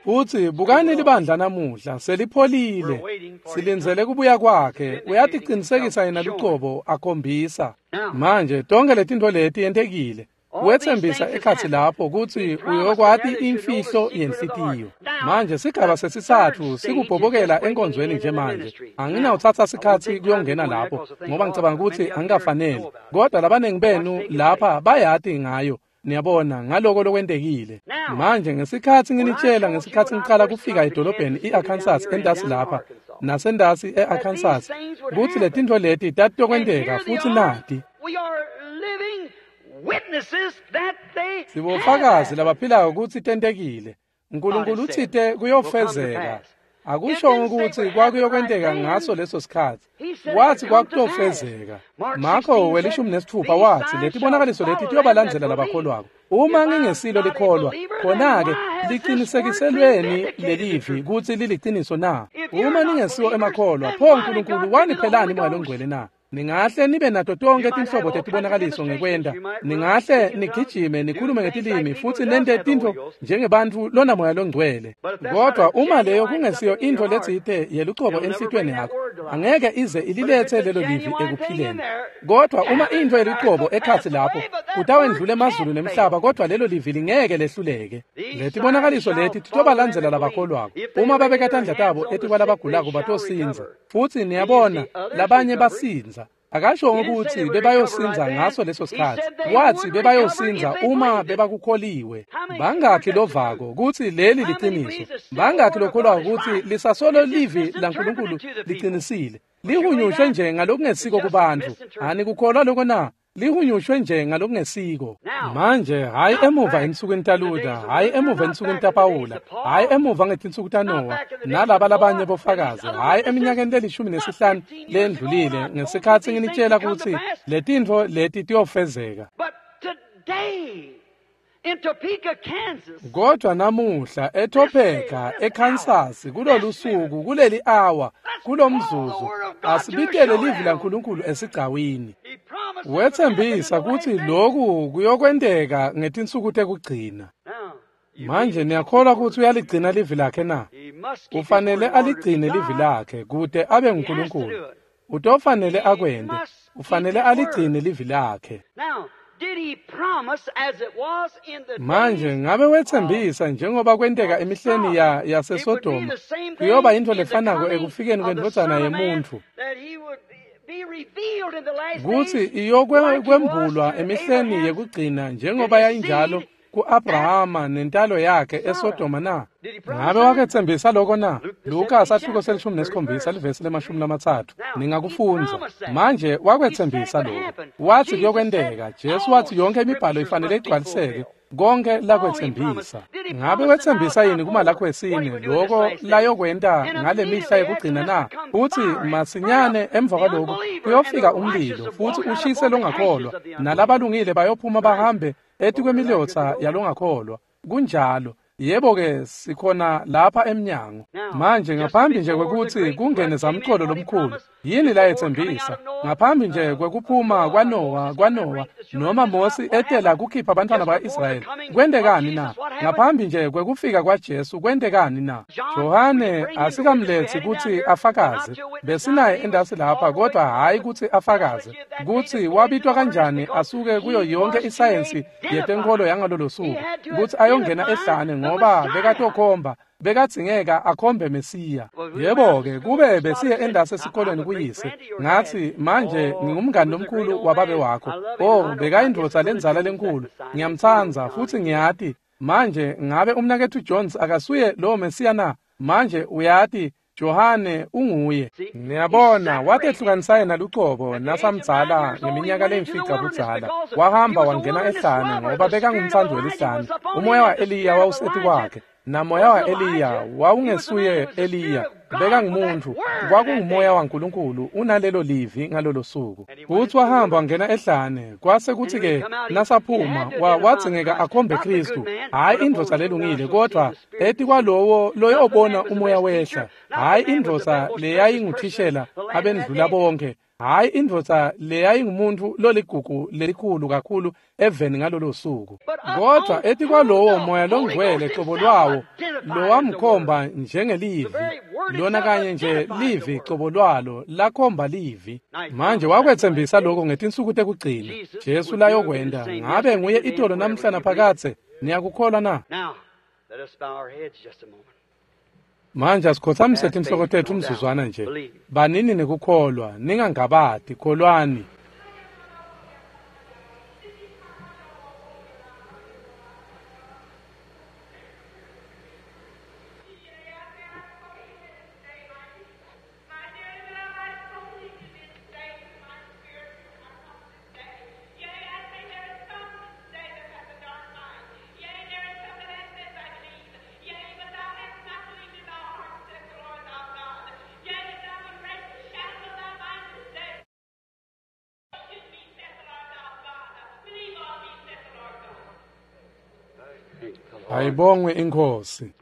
[SPEAKER 1] Futhi bukani libandla namuhla selipholile, silindzele kubuya kwakhe. Uyatiqinisekisa yena lucobo akhombisa. Manje tonke letintfo leti yentekile. Wethembisa ekhatsi lapho kutsi uyokwati imfihlo yenhlitiyo. Manje sigaba sesitsatfu sikubhobokela enkonzweni nje manje. Anginawutsatsa sikhatsi kuyongena lapho ngoba ngicabanga kutsi angikafanele, kodwa labanengi benu lapha bayati ngayo. Niyabona ngaloko lokwentekile. Manje ngesikhatsi nginitshela ngesikhatsi ngiqala kufika edolobheni i-Arkansas entasi lapha nasentasi e-Arkansas kutsi letintfo leti tatitokwenteka futhi nati. Sibofakazi labaphilako kutsi tentekile. Nkulunkulu utsite kuyofezeka. Akushongo ukuthi kwakuyokwenteka ngaso leso sikhatsi. Wathi kwakutofezeka. Marko 16 wathi letibonakaliso leti tiyobalandzela labakholwako. Uma ngingesilo likholwa, khona-ke liqinisekiselweni lelivi kutsi liliciniso na? Uma ningesiwo emakholwa, pho Nkulunkulu waniphelani Moya Longcwele na? Ningahle nibe nato tonke tinhlobo tetibonakaliso ngekwenta. Ningahle nigijime nikhulume ngetilimi futhi nente tintfo njengebantfu lona Moya Longcwele. Kodwa uma leyo kungesiyo intfo letsite yelucobo enhlitiyweni yakho, angeke ize ililethe lelo livi ekuphileni. Kodwa uma intfo yelucobo ekhatsi lapho, kutawendlula emazulu nemhlaba, kodwa lelo livi lingeke lehluleke. Letibonakaliso leti titobalandzela labakholwako. Uma babeka tandla tabo etikwalabagulako batosindza. Futhi niyabona labanye basindza. Akashongo ukuthi bebayosindza ngaso leso sikhatsi. Wathi bebayosindza uma bebakukholiwe. Bangakhi lovako kutsi leli liciniso? Bangakhi lokholwako kutsi lisasolo livi laNkulunkulu liqinisile? Lihunyushwe nje ngalokungesiko kubantfu. Anikukholwa lokho na? Lihunyushwe nje ngalokungesiko. Manje hayi emuva ensukwini taLuther, hayi emuva ensukwini taPawula, hayi emuva ngetinsuku taNowa nalaba labanye bofakazi, hayi eminyakeni leli-15 lendlulile ngesikhatsi nginitshela kutsi letintfo leti tiyofezeka. Kodwa namuhla eTopeka, eKansas, kulolu suku, kuleli hour, kulomzuzu, asibitele livi laNkulunkulu esigcawini. Wethembisa kutsi loku kuyokwenteka ngetinsuku tekugcina. Manje niyakholwa kutsi uyaligcina livi lakhe na? Ufanele aligcine livi lakhe kute abe nguNkulunkulu. Utofanele akwente. Ufanele aligcine livi lakhe. Manje ngabe wethembisa njengoba kwenteka emihleni yaseSodoma, kuyoba intfo lefanako ekufikeni kwendvodzana yemuntfu, kutsi iyokwembulwa emihleni yekugcina njengoba yayinjalo ku-Abrahama nentalo yakhe eSodoma na? Ngabe wakethembisa lokho na? Luka sahluko se-17 livesi le-30. Ningakufundza. Manje wakwethembisa lokho. Wathi kuyokwenteka. Jesu wathi yonke imibhalo ifanele igcwaliseke. Konke lakwethembisa. Ngabe wethembisa yini kuMalakhi wesine lokho layokwenta ngale mihla yekugcina na? Uthi masinyane emva kwalokhu kuyofika umlilo futhi ushise longakholwa, nalabalungile bayophuma bahambe etikwemilotsa yalongakholwa. Kunjalo. Yebo-ke sikhona lapha emnyango. Manje ngaphambi nje kwekutsi kungene zamcolo lomkhulu, yini layethembisa? Ngaphambi nje kwekuphuma kwaNowa noma Mosi etela kukhipha abantwana ba-Israyeli, kwentekani na? Ngaphambi nje kwekufika kwaJesu, kwentekani na? Johane asikamletsi kutsi afakaze. Besinaye endasi lapha, kodwa hhayi kutsi afakaze kutsi wabitwa kanjani asuke kuyo yonke isayensi yetenkolo yangalolo suku kutsi ayongena ehlane, ngoba bekatokhomba, bekadzingeka akhombe Mesiya. Yebo-ke kube besiye endasi esikolweni kuyise, ngathi manje ngingumngani lomkhulu wababe wakho. Oh, bekayindvodza lendzala lenkhulu, ngiyamtsandza futhi ngiyati. Manje ngabe umnaketfu Jones akasuye lowo Mesiya na? Manje uyati Johane unguye. Niyabona, watehlukanisa yena lucobo nasamdzala ngeminyaka lemfica budzala. Wahamba wangena ehlane ngoba bekangumtsandzi welihlane. Umoya wa-Eliya wawuseti kwakhe, namoya wa-Eliya wawungesuye Eliya. Bekangumuntu, kwakungumoya waNkulunkulu unalelo livi ngalolo suku. Futsi wahamba wangena ehlane, kwase kuthi-ke nasaphuma wadzingeka akhombe Khristu, hhayi indvodza lelungile, kodvwa etikwalowo loyobona umoya wehla, hhayi indvodza leyayinguthishela abendlula bonke, hhayi indvodza leyayingumuntu loligugu lelikhulu kakhulu eveni ngalolo suku, kodvwa etikwalowo moya longcwele cobo lwawo lowamkhomba njengelivi, lona kanye nje livi cobo lwalo lakhomba livi. Manje wakwetsembisa lokho ngetinsuku tekugcina Jesu layokwenta. Ngabe nguye itolo namhla naphakadze? Niyakukholwa na? Manje asikhothamise tinhloko tetfu umzuzwana nje. Banini nekukholwa, ningangabati, kholwani. Ayibongwe inkosi.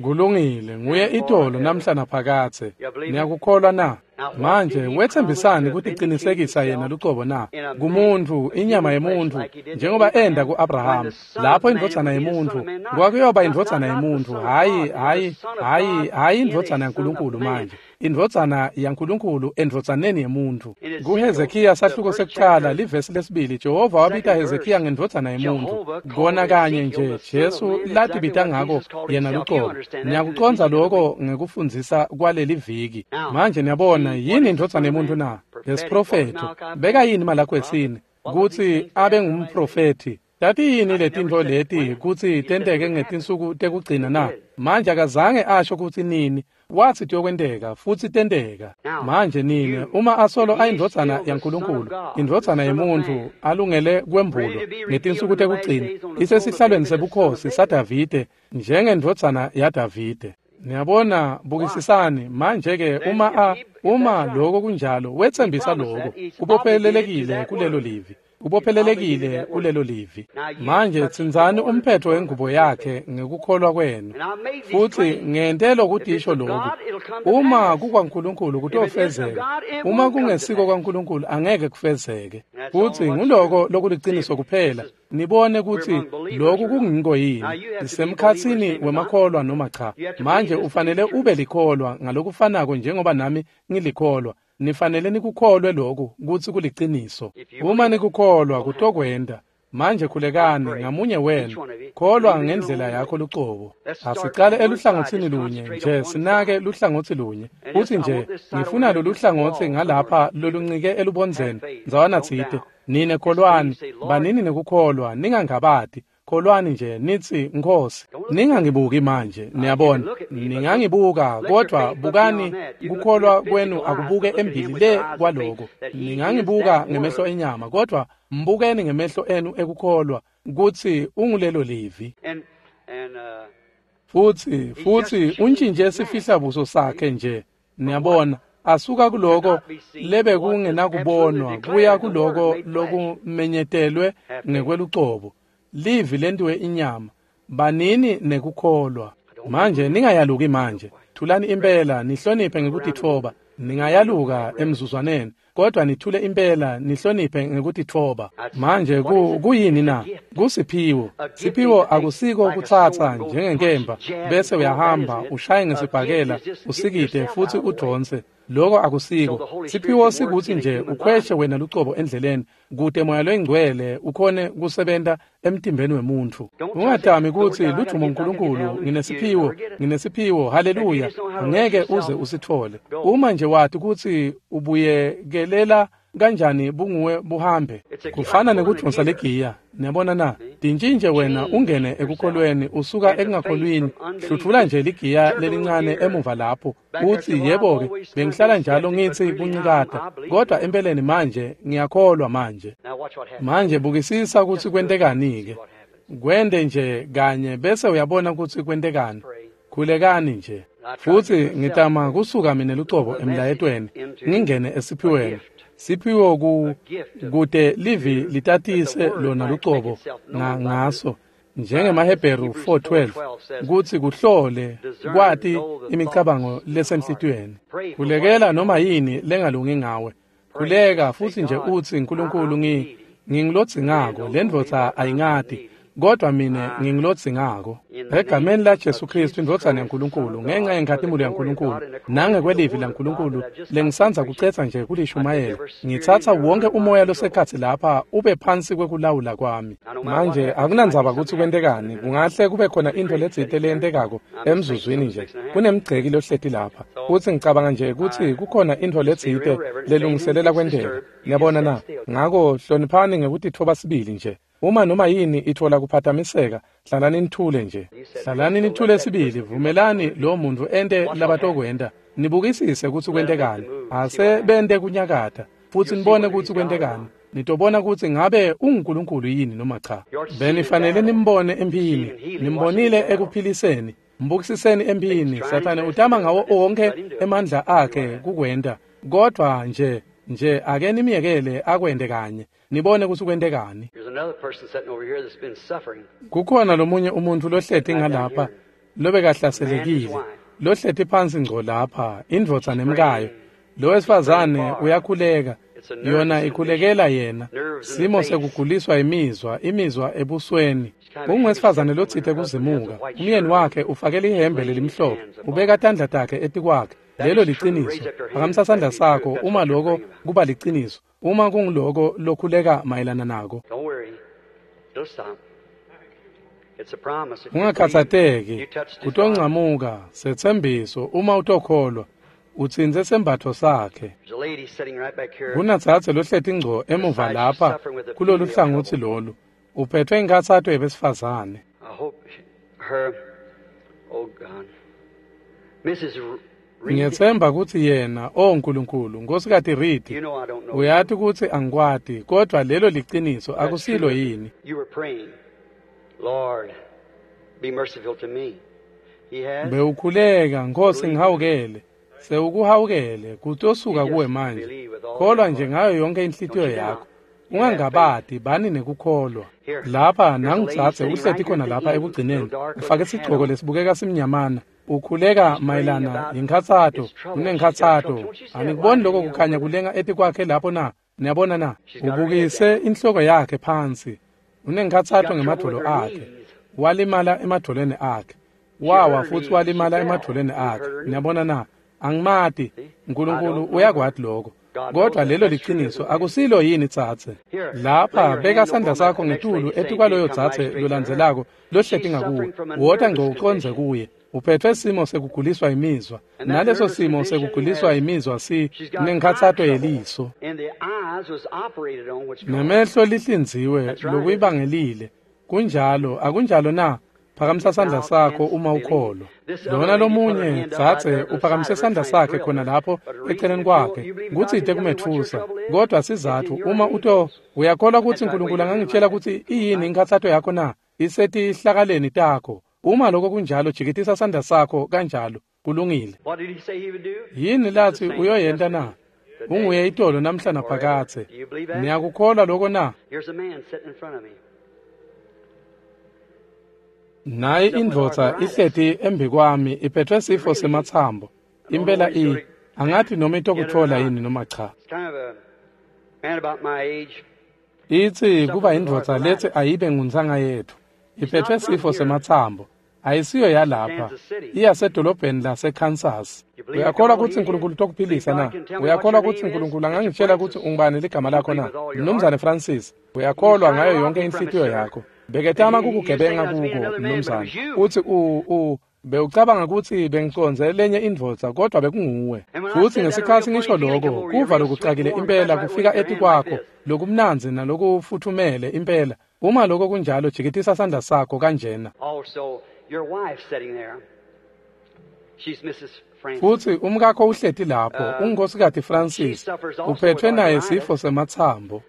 [SPEAKER 1] Kulungile, nguye itolo namhla naphakadze. Niyakukholwa na? Manje wetsembisani kuticinisekisa yena lucobo na? Kumuntu, inyama yemuntu, njengoba enda ku-Abraham, lapho indvodzana yemuntu, kwakuyoba indvodzana yemuntu, hhayi hhayi hhayi hhayi indvodzana yaNkulunkulu manje. Indvodzana yaNkulunkulu endvodzaneni yemuntu. KuHezekiya sahluko sekucala livesi lesibili, Jehova wabita Hezekiya ngendvodzana yemuntu. Kona kanye nje Jesu latibita ngako yena lucobo. Niyakucondza lokho ngekufundzisa kwaleli viki. Manje niyabona yini indvodzana yemuntu na? Lesiprofetho. Beka yini Malakhi wesine kutsi abe ngumprofethi? Tati yini letintfo leti kutsi tenteke ngetinsuku tekugcina na? Manje akazange asho kutsi nini, watsi tiyokwenteka futsi tenteka. Manje nine, uma asolo ayindvodzana yaNkulunkulu, indvodzana yemuntu alungele kwembulwa ngetinsuku tekugcina, isesihlalweni sebukhosi saDavide njengendvodzana yaDavide. Niyabona, bukisisani manje-ke uma lokho kunjalo, wetsembisa lokho, ubophelelekile kulelo livi. Ubophelelekile kulelo livi. Manje tsintsani umphetho wengubo yakhe ngekukholwa kwenu. Futsi ngente lokutisho lokhu. Uma kukwaNkulunkulu kutofezeka. Uma kungesiko kwaNkulunkulu angeke kufezeke. Futsi nguloko lokuliciniso kuphela. Nibone kutsi lokhu kungiko yini. Sisemkhatsini wemakholwa noma cha. Manje ufanele ube likholwa ngalokufanako njengoba nami ngilikholwa. Nifanele nikukholwe lokhu kutsi kuliciniso. Uma nikukholwa kutokwenta. Manje khulekani ngamunye wenu, kholwa ngendlela yakho lucobo. Asicale eluhlangotsini lunye nje, sinake luhlangotsi lunye. Futsi nje ngifuna lolu hlangotsi ngalapha loluncike elubondzeni ndzawana tsite. Nine kholwani, banini nekukholwa, ningangabati. Kholwani nje nitsi Nkhosi. Ningangibuki manje, niyabona. Ningangibuka, kodvwa bukani kukholwa kwenu akubuke embili le kwaloko. Ningangibuka ngemehlo enyama, kodvwa mbukeni ngemehlo enu ekukholwa kutsi ungulelo livi. Futsi untjintje sifihlabuso sakhe nje, niyabona. Asuka kuloko lebe kungenakubonwa kuya kuloko lokumenyetelwe ngekwelucobo. Livi lentiwe inyama. Banini nekukholwa. Manje ningayaluki manje. Thulani impela, nihloniphe ngekutitfoba. Ningayaluka emzuzwaneni, kodwa nithule impela, nihloniphe ngekutitfoba. Manje kuyini na? Kusiphiwo. Siphiwo akusiko kutsatsa njengenkemba bese uyahamba ushaye ngesibhakela usikite futsi udvonse. Lokho akusiko. Siphiwo sikuthi nje ukhweshe wena lucobo endleleni kute moya longcwele ukhone kusebenta emtimbeni wemuntu. Ungatami kutsi ludvumo uNkulunkulu, nginesiphiwo, nginesiphiwo, haleluya. Angeke uze usithole. Uma nje wati kutsi ubuyekelela kanjani bunguwe buhambe. Kufana nekudvonsa legiya. Niyabona na? Tintjintje wena ungene ekukholweni usuka ekungakholwini. Hluthula nje ligiya lelincane emuva lapho. Uthi yebo-ke, bengihlala njalo ngitsi kuncikata, kodwa empeleni manje ngiyakholwa manje. Manje bukisisa kutsi kwentekani-ke. Kwente nje kanye bese uyabona kutsi kwentekani. Khulekani nje. Futsi ngitama kusuka mina lucobo emlayetweni ngingene esiphiweni. Siphiwo kute livi litatise lona lucobo ngaso njengemaHebheru 4:12 kutsi kuhlole kwati imicabango lesenhlitiyweni. Khulekela noma yini lengalungi ngawe. Khuleka futsi nje utsi Nkulunkulu ngingilodzingako, lendvodza ayingati, kodwa mina ngingilodzingako. Egameni la Jesu Kristu indvodzana yaNkulunkulu, ngenxa yenkhatimulo yaNkulunkulu nangekwelivi laNkulunkulu lengisandza kucetsa nje kulishumayela, ngitsatsa wonke umoya losekhatsi lapha ube phansi kwekulawula kwami. Manje akunandzaba kutsi kwentekani, kungahle kube khona intfo letsite leyentekako emzuzwini nje. Kunemgceki lohleti lapha, futsi ngicabanga nje kutsi kukhona intfo letsite lelungiselela kwenteka. Niyabona na? Ngako hloniphani ngekutitfoba sibili nje. Uma noma yini itfola kuphatamiseka, hlalani nithule nje. Hlalani nithule sibili, vumelani lo muntu ente labatokwenta. Nibukisise kutsi kwentekani. Ase bente kunyakata, futsi nibone kutsi kwentekani. Nitobona kutsi ngabe unguNkulunkulu yini noma cha. Benifanele nimbone emphini, nimbonile ekuphiliseni. Mbukisiseni emphini. Sathane utama ngawo onke emandla akhe kukwenta, kodwa nje ake nimyekele akwente kanye. Nibone kutsi kwentekani. Kukhona lomunye umuntfu lohleti ngalapha lobekahlaselekile, lohleti phansi ngco lapha, indvodza nemkayo. Lo wesifazane uyakhuleka, yona ikhulekela yena. Simo sekuguliswa imizwa ebusweni. Ungwesifazane lotsite kuzimuka. Umyeni wakhe ufake lihembe lelimhlophe, ubeka tandla takhe etikwakhe. Lelo liciniso. Phakamisa sandla sakho uma lokho kuba liciniso. Uma kunguloko lokhuleka mayelana nako. Ungakhatsateki, kutoncamuka, setsembiso uma utokholwa. Utsintse sembatfo sakhe. Kunadzadze lohleti ngco emuva lapha kulolu hlangotsi lolu. Uphethwe inkhatsato yebesifazane. Ngiyetsemba kutsi yena, o Nkulunkulu, Nkosikazi Reed, uyati kutsi angikwati, kodwa lelo liciniso akusilo yini? Bewukhuleka, Nkosi ngihawukele. Sewukuhawukele, kutosuka kuwe manje. Kholwa nje ngayo yonke inhlitiyo yakho. Ungangabati, bani nekukholwa. Lapha nangudzadze uhleti khona lapha ekugcineni, ufake sigcoko lesibukeka simnyamana. Ukhuleka mayelana yinkhatsato, unenkhatsato. Anikuboni lokho kukhanya kulenga etikwakhe lapho na? Niyabona na? Ubukise inhloko yakhe phansi. Unenkhatsato ngemadvolo akhe. Walimala emadvolweni akhe. Wawa futsi walimala emadvolweni akhe. Niyabona na? Angimati. Nkulunkulu uyakwati lokho. Kodwa lelo liciniso akusilo yini tsatse? Lapha beka sandla sakho ngetulu etikwaloyo tsatse lolandzelako lohleti ngakuwe. Wota ngco ucondze kuye. Uphethwe simo sekuguliswa imizwa. Naleso simo sekuguliswa imizwa si nenkhatsato yeliso. Nemehlo lihlinziwe lokuyibangelile. Kunjalo, akunjalo na? Phakamisa sandla sakho uma ukholwa. Lona lomunye dzadze uphakamise sandla sakhe khona lapho eceleni kwakhe, kutsite kumetfusa. Kodwa sizatfu uma uyakholwa kutsi Nkulunkulu angangitshela kutsi iyini inkhatsato yakho na? Isetihlakaleni takho. Uma lokho kunjalo, jikitisa sandla sakho kanjalo. Kulungile. Yini lathi uyoyenta na? Unguye itolo namhla naphakadze. Niyakukholwa lokho na? Nayi indvodza ihleti embikwami iphethwe sifo sematsambo. Impela angathi noma itokutfola yini noma cha. Itsi kuba indvodza lethi ayibe nguntsanga yetfu. Iphethwe sifo sematsambo. Ayisiyo yalapha, iyasedolobheni laseKansas. Uyakholwa kutsi Nkulunkulu utokuphilisa na? Uyakholwa kutsi Nkulunkulu angangitshela kutsi ungubani ligama lakho na? Mnumzane Francis, uyakholwa ngayo yonke inhlitiyo yakho. Beketama kukugebenga kuko, mnumzane. Utsi bewucabanga kutsi bengicondze lenye indvodza, kodwa bekunguwe. Futsi ngesikhatsi ngisho lokho, kuva lokucakile impela kufika etikwakho, lokumnandzi nalokufuthumele impela. Uma lokho kunjalo, jikitisa sandla sakho kanjena. Futsi umkakho uhleti lapho, ungunkosikazi Francis, uphethwe naye sifo sematsambo.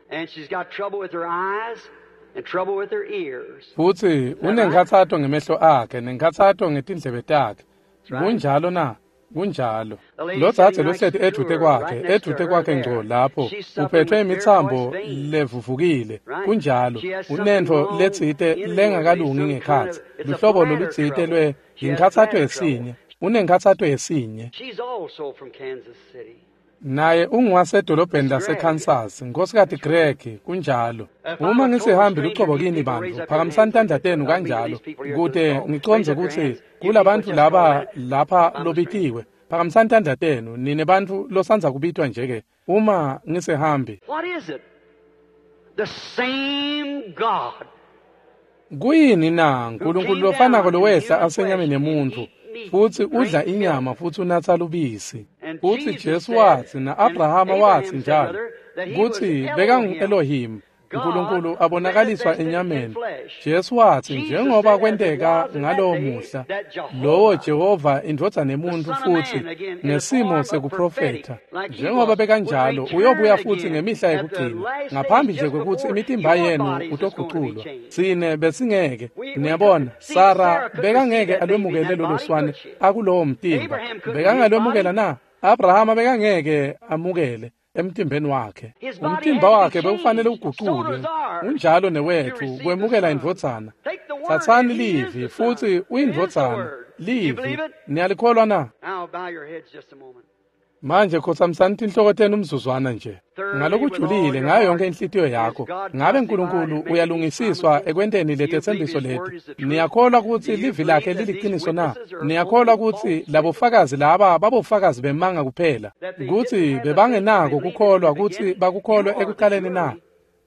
[SPEAKER 1] Futsi unenkhatsato ngemehlo akhe nenkhatsato ngetindlebe takhe. Kunjalo na? Kunjalo. Lo dzadze lohleti edvute kwakhe ngco lapho, uphethwe imitsambo levuvukile. Kunjalo. Unentfo letsite lengakalungi ngekhatsi. Luhlobo lolutsite lwe yinkhatsato yesinye. Unenkhatsato yesinye. Naye unguwasedolobheni laseKansas, Nkosikazi Greg, kunjalo. Uma ngisihambi lucobo kini bantfu, phakamisani tandla tenu kanjalo, kute ngicondze kutsi kulabantfu laba lapha lobitiwe. Phakamisani tandla tenu, nine bantfu losandza kubitwa nje-ke, uma ngisihambi. Kuyini na Nkulunkulu lofanako lowehla asenyameni yemuntfu, futsi udla inyama futsi unatsa lubisi. Futsi Jesu watsi na-Abrahama watsi njalo kutsi bekangu-Elohim, Nkulunkulu abonakaliswa enyameni. Jesu watsi njengoba kwenteka ngalowo muhla, lowo Jehova indvodzana yemuntfu futsi ngesimo sekuprofetha. Njengoba bekanjalo uyobuya futsi ngemihla yekugcina, ngaphambi nje kwekutsi imitimba yenu utoguculwa. Tsine besingeke, niyabona, Sara bekangeke alwemukele lolo swane akulowo mtimba. Bekangalwemukela na? Abrahama bekangeke amukele emtimbeni wakhe. Umtimba wakhe bekufanele uguculwe. Unjalo newetfu kwemukela indvodzana. Tsatsani livi futsi uyindvodzana. Livi, niyalikholwa na? Manje khotsamisani tinhloko tenu umzuzwana nje. Ngalokujulile ngayo yonke inhlitiyo yakho, ngabe Nkulunkulu uyalungisiswa ekwenteni letetsembiso leti? Niyakholwa kutsi livi lakhe liliciniso na? Niyakholwa kutsi labofakazi laba babofakazi bemanga kuphela, kutsi bebangenako kukholwa kutsi bakukholwe ekuqaleni na?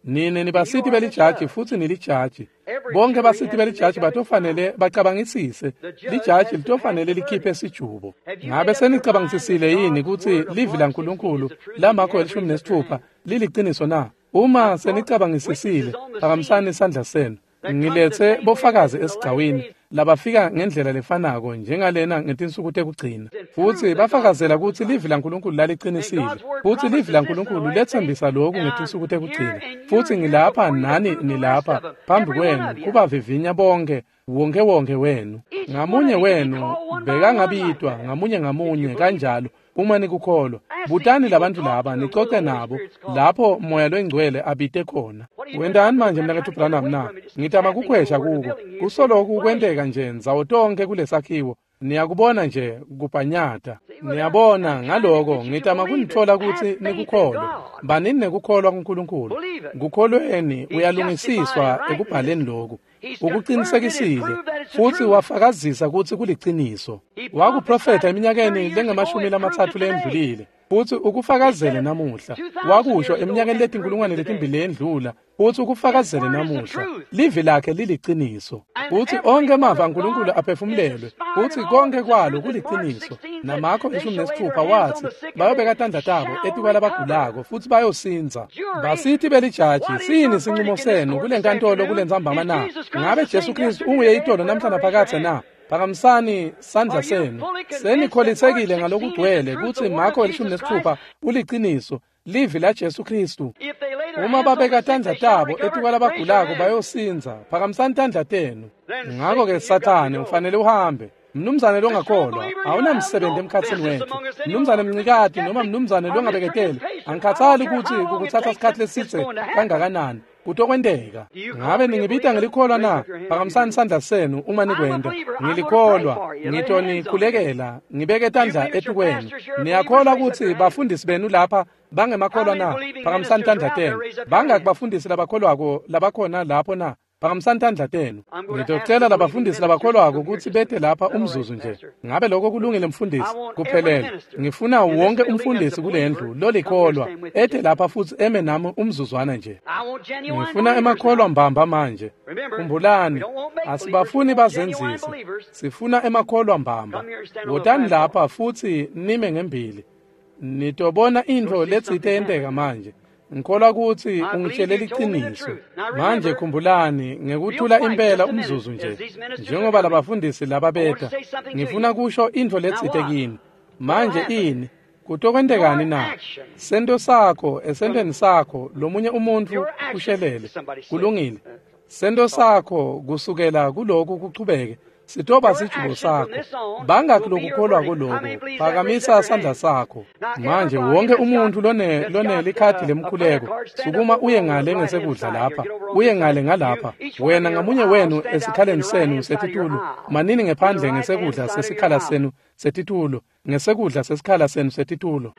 [SPEAKER 1] Nine nibasiti belijaji futsi nilijaji. Bonke basiti belijaji batofanele bacabangisise. Lijaji litofanele likhiphe sijubo. Ngabe senicabangisisile yini kutsi livi laNkulunkulu laMarko 16 liliciniso na? Uma senicabangisisile, phakamisani isandla senu. Ngiletse bofakazi esigcawini labafika ngendlela lefanako njengalena ngetinsuku tekugcina, futsi bafakazela kutsi livi laNkulunkulu laliqinisile, futsi livi laNkulunkulu letsembisa lokhu ngetinsuku tekugcina. Futsi ngilapha nani nilapha phambi kwenu kubavivinya bonke, wonke wonke wenu. Ngamunye wenu bekangabitwa ngamunye ngamunye kanjalo uma nikukholwa. Butani labantfu laba nicoce nabo lapho Moya Longcwele abite khona. Wentani manje mnaketfu Branham na? Ngitama kukhwesha kuko. Kusoloku kwenteka nje ndzawo tonke kulesakhiwo. Niyakubona nje kubhanyata. Niyabona ngaloko ngitama kunitfola kutsi nikukholwe. Banini nekukholwa kuNkulunkulu. Kukholweni uyalungisiswa ekubhaleni lokhu. Ukuqinisekisile futsi wafakazisa kutsi kuliciniso. Wakuprofetha eminyakeni lengamashumi lamatsatfu lendlulile, futsi ukufakazele namuhla. Wakusho eminyakeni letinkulungwane letimbili lendlula, futsi ukufakazele namuhla. Livi lakhe liliciniso. Futsi onke emava aNkulunkulu aphefumulelwe, futsi konke kwalo kuliciniso. NaMarko 16 watsi bayobeka tandla tabo etikwalabagulako futsi bayosindza. Basithi belijaji, siyini sincumo senu kulenkantolo kulentsambama na? Ngabe Jesu Kristu unguye itolo namhla naphakadze na? Phakamisani sandla senu. Senikholisekile ngalokugcwele kutsi Marko 16 uliciniso, livi la Jesu Kristu. Uma babeka tandla tabo etikwalabagulako bayosindza. Phakamisani tandla tenu. Ngako-ke Sathane ufanele uhambe. Mnumzane longakholwa, awunamsebenzi emkhatsini wetfu. Mnumzane mncikati noma mnumzane longabeketeli, angikhathali kutsi kukutsatsa sikhatsi lesidze kangakanani. Kutokwenteka. Ngabe ningibita ngelikholwa na? Phakamisani sandla senu uma nikwenta. Ngilikholwa, ngitonikhulekela, ngibeke tandla etukwenu. Niyakholwa kutsi bafundisi benu lapha bangemakholwa na? Phakamisani tandla tenu. Bangaki bafundisi labakholwako labakhona lapho na? Phakamisani tandla tenu. Ngitocela labafundisi labakholwako kutsi bete lapha umzuzu nje. Ngabe lokho kulungile mfundisi? Kuphelele. Ngifuna wonke umfundisi kulendlu lolikholwa ete lapha futsi eme nami umzuzwana nje. Ngifuna emakholwa mbamba manje. Khumbulani, asibafuni bazenzisi. Sifuna emakholwa mbamba. Wotani lapha futsi nime ngembili. Nitobona intfo letsite yenteka manje. Ngikholwa kutsi ungitshele liciniso. Manje khumbulani ngekuthula impela umzuzu nje, njengoba labafundisi laba beta, ngifuna kusho intfo letsite kini. Manje ini? Kutokwentekani na? Sento sakho, esentweni sakho, lomunye umuntfu ushelele. Kulungile. Sento sakho kusukela kuloku kuchubeke sitoba sijubo sakho. Bangakhi lokukholwa kuloku? Phakamisa sandla sakho. Manje wonke umuntu lonelikhadi lemkhuleko, sukuma uye ngale ngesekudla lapha, uye ngale ngalapha. Wena ngamunye wenu esikhaleni senu setitulo, manini ngephandle ngesekudla sesikhala senu setitulo, ngesekudla sesikhala senu setitulo.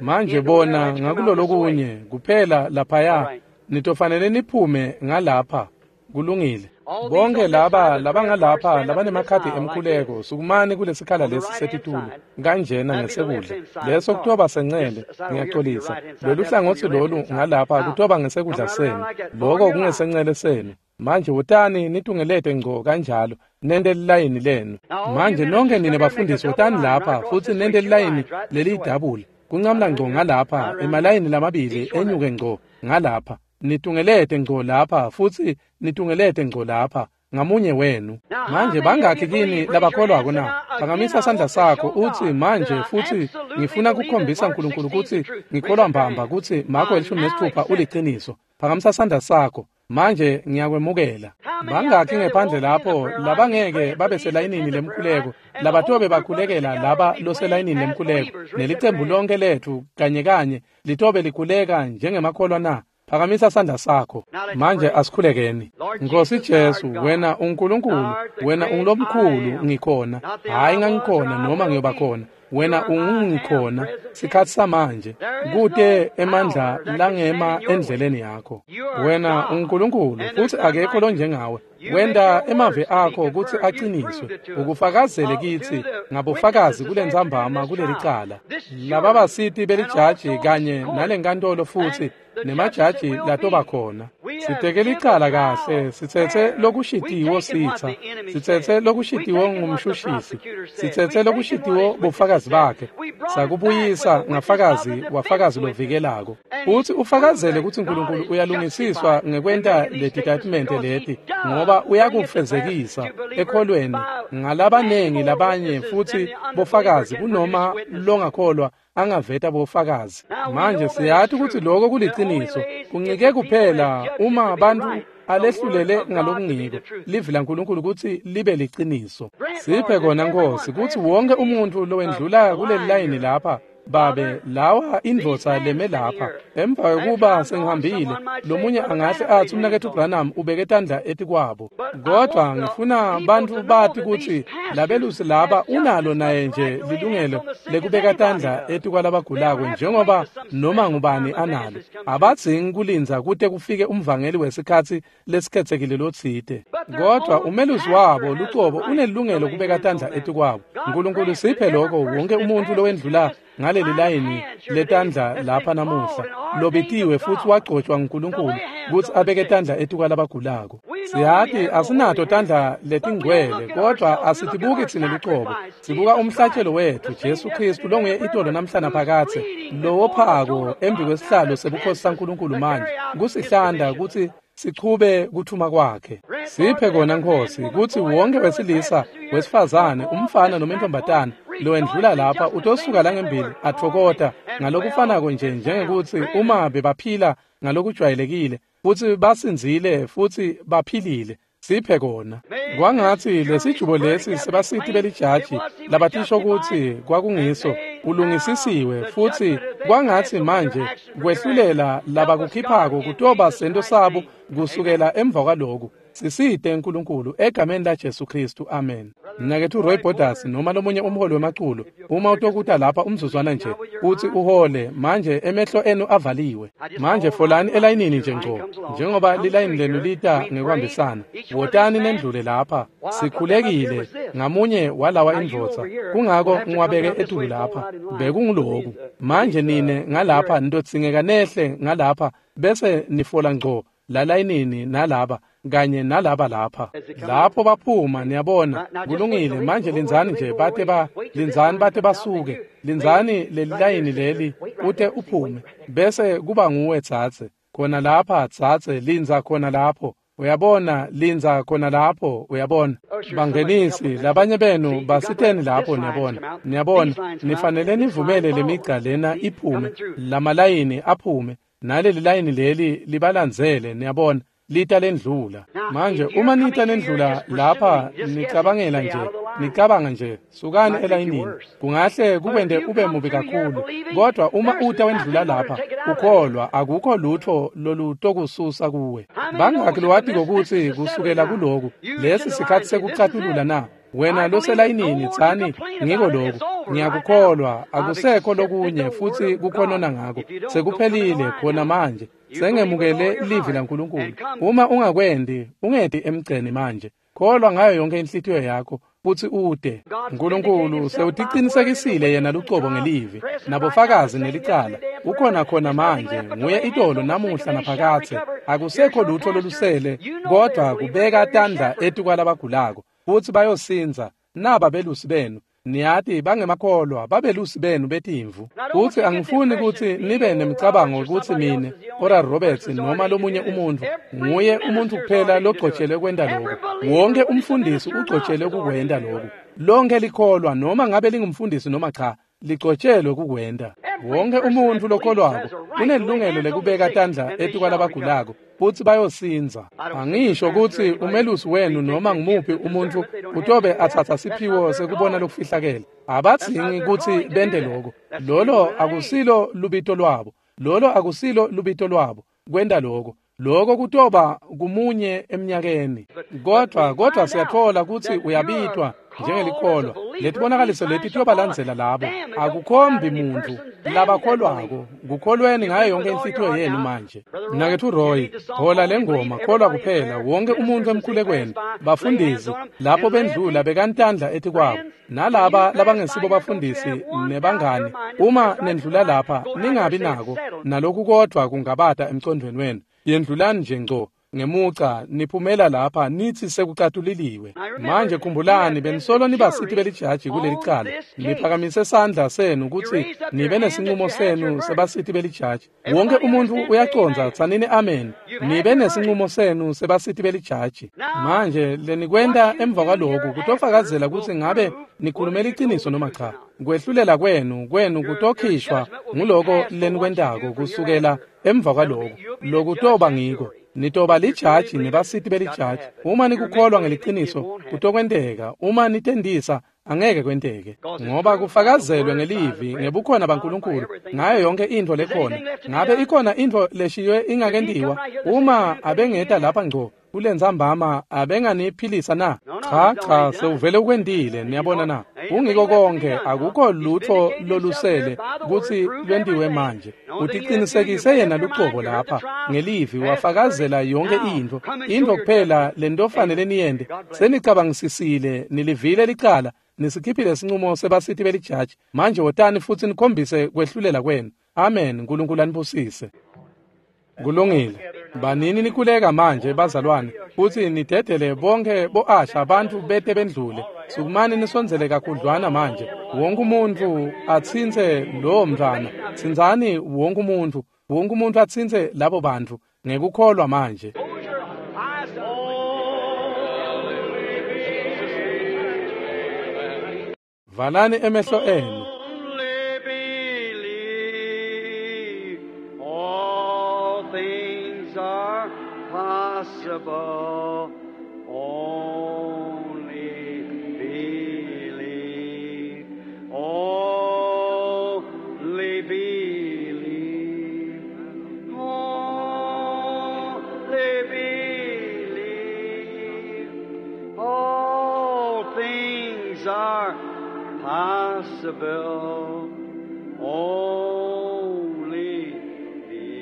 [SPEAKER 1] Manje bona ngakulolokunye kuphela laphaya, nitofanele niphume ngalapha. Kulungile. Bonke laba labangalapha labanemakhadi emkhuleko, sukumani kulesikhala lesi setitulo kanjena ngesekudla. Leso kutoba sencele, ngiyaxolisa. Lolu hlangothi lolu ngalapha kutoba ngesekudla senu, loko kungesencele senu. Manje wotani nitungelete ngco kanjalo, nente lilayini lenu. Manje nonke nine bafundisi wotani lapha futhi nente lilayini leliyidabula. Kuncamla ngco ngalapha, emalayini lamabili enyuke ngco ngalapha. Nitungelete ngco lapha futhi nitungelete ngco lapha ngamunye wenu. Manje bangakhi kini labakholwako na? Phakamisa sandla sakho uthi manje futhi ngifuna kukhombisa uNkulunkulu ukuthi ngikholwa mbamba ukuthi Marko 16 uliqiniso. Phakamisa sandla sakho. Manje ngiyakwemukela. Bangakhi ngephandle lapho labangeke babe selayinini lemkhuleko, labatobe bakhulekela laba loselayinini lemkhuleko, nelicembu lonke lethu kanye kanye litobe likhuleka njengemakholwa na? Phakamisa sandla sakho. Manje asikhulekeni. Nkosi Jesu, wena uNkulunkulu, wena ungulomkhulu ngikhona. Hayi ngangikhona noma ngiyoba khona. Wena ungungikhona sikhathi samanje, kute emandla langema endleleni yakho. Wena uNkulunkulu futhi akekho lonjengawe. Wenda emavi akho ukuthi aqiniswe, ukufakazele kithi ngabofakazi kulentsambama kulelicala. Laba basiti belijaji kanye nalenkantolo futhi nemajaji latoba khona. Siteke licala kahle, sithethe lokushitiwo sitha, sithethe lokushitiwo ngumshushisi, sithethe lokushitiwo bofakazi bakhe, sakubuyisa ngafakazi wafakazi lovikelako. Uthi ufakazele ukuthi uNkulunkulu uyalungisiswa ngekwenta letitatimende leti, ngoba uyakufezekisa ekholweni ngalabanengi labanye futhi bofakazi kunoma longakholwa angaveta bofakazi. Manje siyathi ukuthi lokho kuliqiniso, kuncike kuphela uma abantu alehlulele ngalokungiko livi laNkulunkulu ukuthi libe liqiniso. Siphe kona Nkosi ukuthi wonke umuntu lowendlula kuleli layini lapha, Babe, lawa indvodza leme lapha emva kwekuba sengihambile, lomunye angahle athi umnaketfu Branham ubeke tandla etikwabo. Kodwa ngifuna bantu bati ukuthi labelusi laba unalo naye nje lilungelo lekubeka tandla etikwalabagulako njengoba noma ngubani analo. Abadzingi kulindza kute kufike umvangeli wesikhatsi lesikhethekile lotsite. Kodwa umelusi wabo lucobo unelungelo kubeka tandla etikwabo. Nkulunkulu siphe lokho wonke umuntu lowendlula ngaleli layini letandla lapha namuhla lobitiwe futhi wagcotshwa nguNkulunkulu ukuthi abeke tandla etikwalabagulako. Siyati asinato tandla letingcwele, kodwa asitibuki thina lucobo. Sibuka umhlatshelo wethu Jesu Kristu longuye itolo namhlana phakathe, lowophako embi kwesihlalo sebukhosi saNkulunkulu manje kusihlanda ukuthi sichube kuthuma kwakhe. Siphe kona Nkosi ukuthi wonke wesilisa, wesifazane, umfana noma intombatana lowendlula lapha utosuka la ngembili athokota ngalokufanako nje njengekuthi uma bebaphila ngalokujwayelekile futhi basinzile futhi baphilile. Siphe kona. Kwangathi lesijubo lesi sebasithi belijaji labatisho ukuthi kwakungiso ulungisisiwe, futhi kwangathi manje kwehlulela labakukhiphako kutoba sento sabo kusukela emva kwaloku. Sisite uNkulunkulu egameni la Jesu Kristu, amen. Mnaketfu Roy Borders noma lomunye umholi wemaculo, uma utokuta lapha umzuzwana nje uthi uhole manje, emehlo enu avaliwe. Manje folani elayinini nje ngco njengoba lilayini lenu lita ngekuhambisana. Wotani nendlule lapha. Sikhulekile ngamunye walawa indvodza, kungako ngiwabeke etulu lapha. Bekunguloku. Manje nine ngalapha nitodzingeka nehle ngalapha bese nifola ngco lalayinini nalaba kanye nalaba lapha. Lapho baphuma, niyabona, kulungile. Manje lindzani nje bate ba lindzani bate basuke. Lindzani lelilayini leli ute uphume bese kuba nguwe tsatse khona lapha, tsatse lindza khona lapho. Uyabona, lindza khona lapho, uyabona. Bangenisi labanye benu basiteni lapho, niyabona. Niyabona, nifanele nivumele lemigca lena iphume, lamalayini aphume, naleli layini leli libalandzele, niyabona. Lita lendlula. Manje uma nita lendlula lapha nicabangela nje, nicabanga nje, sukani elayinini. Kungahle kukwente ube mubi kakhulu. Kodwa uma uta wendlula lapha, ukholwa akukho lutho lolutokususa kuwe. Bangaki lowatiko kutsi kusukela kuloku, lesi sikhatsi sekucatulula na? Wena loselayinini tsani ngiko lokhu, ngiyakukholwa, akusekho lokunye futsi kukhonona ngako. Sekuphelile khona manje. Sengemukele livi laNkulunkulu. Uma ungakwendi, ungeti emgceni manje. Kholwa ngayo yonke inhlitiyo yakho futsi ute. Nkulunkulu sewuticinisekisile yena lucobo ngelivi, nabofakazi nelicala. Ukhona khona manje, nguye itolo namuhla naphakathe. Akusekho lutho lolusele, kodwa kubeka tandla etikwalabagulako futsi bayosindza. Naba belusi benu, niyati bangemakholwa, babelusi benu betimvu. Futsi angifuni kutsi nibe nemicabango kutsi mine, Oral Roberts noma lomunye umuntfu, nguye umuntfu kuphela logcotshelwe kwenta lokhu. Wonke umfundisi ugcotshelwe kukwenta lokhu. Lonke likholwa, noma ngabe lingumfundisi noma cha, ligcotshelwe kukwenta. Wonke umuntfu lokholwako unelungelo lekubeka tandla etikwalabagulako futsi bayosindza. Angisho kutsi umelusi wenu noma ngumuphi umuntfu utobe atsatsa siphiwo sekubona lokufihlakele. Abadzingi kutsi bente lokho. Lolo akusilo lubito lwabo. Lolo akusilo lubito lwabo kwenta lokho. Lokho kutoba kumunye eminyakeni. Kodwa siyathola kutsi uyabitwa njengelikholwa. Letibonakaliso leti tiyobalandzela labo. Akukhombi muntfu labakholwako. Kukholweni ngayo yonke inhlitiyo yenu manje. Mnaketfu Roy, hola lengoma, kholwa kuphela. Wonke umuntfu emkhulekweni, bafundisi lapho bendlula bekantandla etikwabo. Nalaba labangesibo bafundisi nebangani, uma nendlula lapha ningabi nako naloku kodwa kungabata emcondvweni wenu. Yendlulani nje ngco ngemuca niphumela lapha nithi sekucatuliliwe. Manje khumbulani, benisolo nibasiti belijaji kuleli cala. Niphakamise sandla senu kutsi nibe nesinqumo senu sebasiti belijaji. Wonke umuntfu uyacondza, tsanini amen. Nibe nesinqumo senu sebasiti belijaji. Manje lenikwenta emva kwaloku kutofakazela kutsi ngabe nikhulume liciniso noma cha. Kwehlulela kwenu kutokhishwa nguloko lenikwentako kusukela emva kwaloko. Lokutoba ngiko. Nitoba lijaji nebasiti belijaji. Uma nikukholwa ngeliciniso kutokwenteka. Uma nitendisa angeke kwenteke, ngoba kufakazelwe ngelivi ngebukhona baNkulunkulu ngayo yonke intfo lekhona. Ngabe ikhona intfo leshiywe ingakentiwa? Uma abengeta lapha ngco kulentsambama abenganiphilisa na? Cha, sewuvele ukwentile. Niyabona na? Kungiko konke, akukho lutho lolusele kutsi lwentiwe manje. Uticinisekise yena lucobo lapha ngelivi, wafakazela yonke intfo. Intfo kuphela lentofanele niyente, senicabangisisile, nilivile licala, nisikhiphile sinqumo sebasiti belijaji. Manje wotani futsi nikhombise kwehlulela kwenu. Amen. Nkulunkulu anibusise. Kulungile. Banini nikhuleka manje bazalwane, futsi nidedele bonke bo-asha abantu bete bendlule. Sukumani nisondzele kakhudlwana manje. Wonke umuntfu atsintse lowo mntfwana. Tsintsani wonke umuntfu. Wonke umuntfu atsintse labo bantfu ngekukholwa manje. Valani emehlo enu.
[SPEAKER 2] Possible, only believe, only believe, only believe. All things are possible, only believe.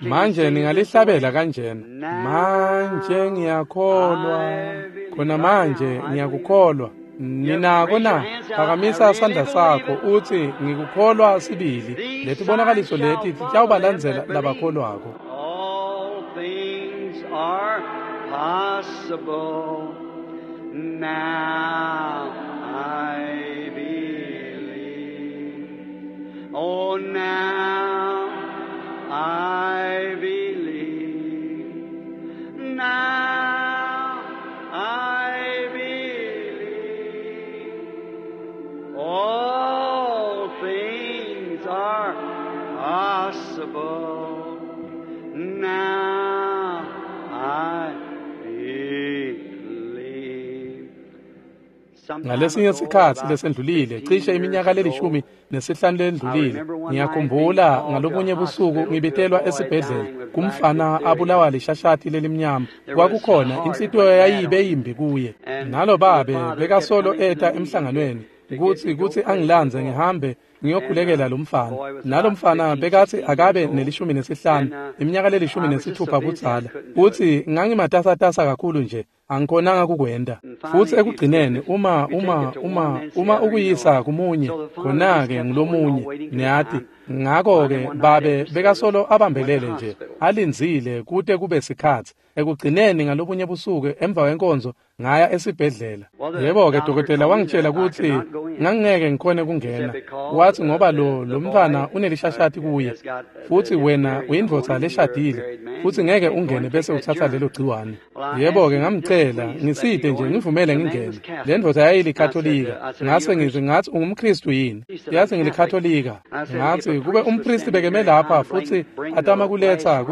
[SPEAKER 1] Manje ningalihlabela kanjena. Manje ngiyakholwa, khona manje ngiyakukholwa. Ninako na? Phakamisa sandla sakho uthi ngikukholwa sibili. Letibonakaliso leti titawubalandzela labakholwako.
[SPEAKER 2] All things are possible. Now I believe. Oh, now I believe. Now I believe. All things are possible.
[SPEAKER 1] Ngalesinye sikhatsi lesendlulile, cishe iminyaka le-15 lendlulile, ngiyakhumbula ngalobunye busuku ngibitelwa esibhedlela kumfana abulawa lishashati lelimnyama. Kwakukhona inhlitiyo yayibe yimbi kuye. Nalo babe bekasolo eta emhlanganweni kutsi angilandze ngihambe ngiyokhulekela lo mfana. Nalo mfana bekatsi akabe ne-15, iminyaka le-16 budzala. Utsi ngangimatasatasa kakhulu nje, angikhonanga kukwenta. Futsi ekugcineni uma ukuyisa kumunye, khona-ke ngulomunye, niyati. Ngakho-ke babe bekasolo abambelele nje, alindzile kute kube sikhatsi. Ekugcineni ngalobunye busuku emva kwenkonzo ngaya esibhedlela. Yebo-ke dokotela wangitshela kutsi ngangingeke ngikhone kungena. Wathi ngoba lo mntfwana unelishashati kuye, futsi wena uyindvodza leshadile, futsi ngeke ungene bese utsatsa lelo gciwane. Yebo-ke ngamcela ngiside nje ngivumele ngingene. Le ndvodza yayilikatolika. Ngase ngithi ngathi ungumKristu yini? Yathi ngilikatolika. Ngathi kube umpristi bekeme lapha futsi atama kuletsa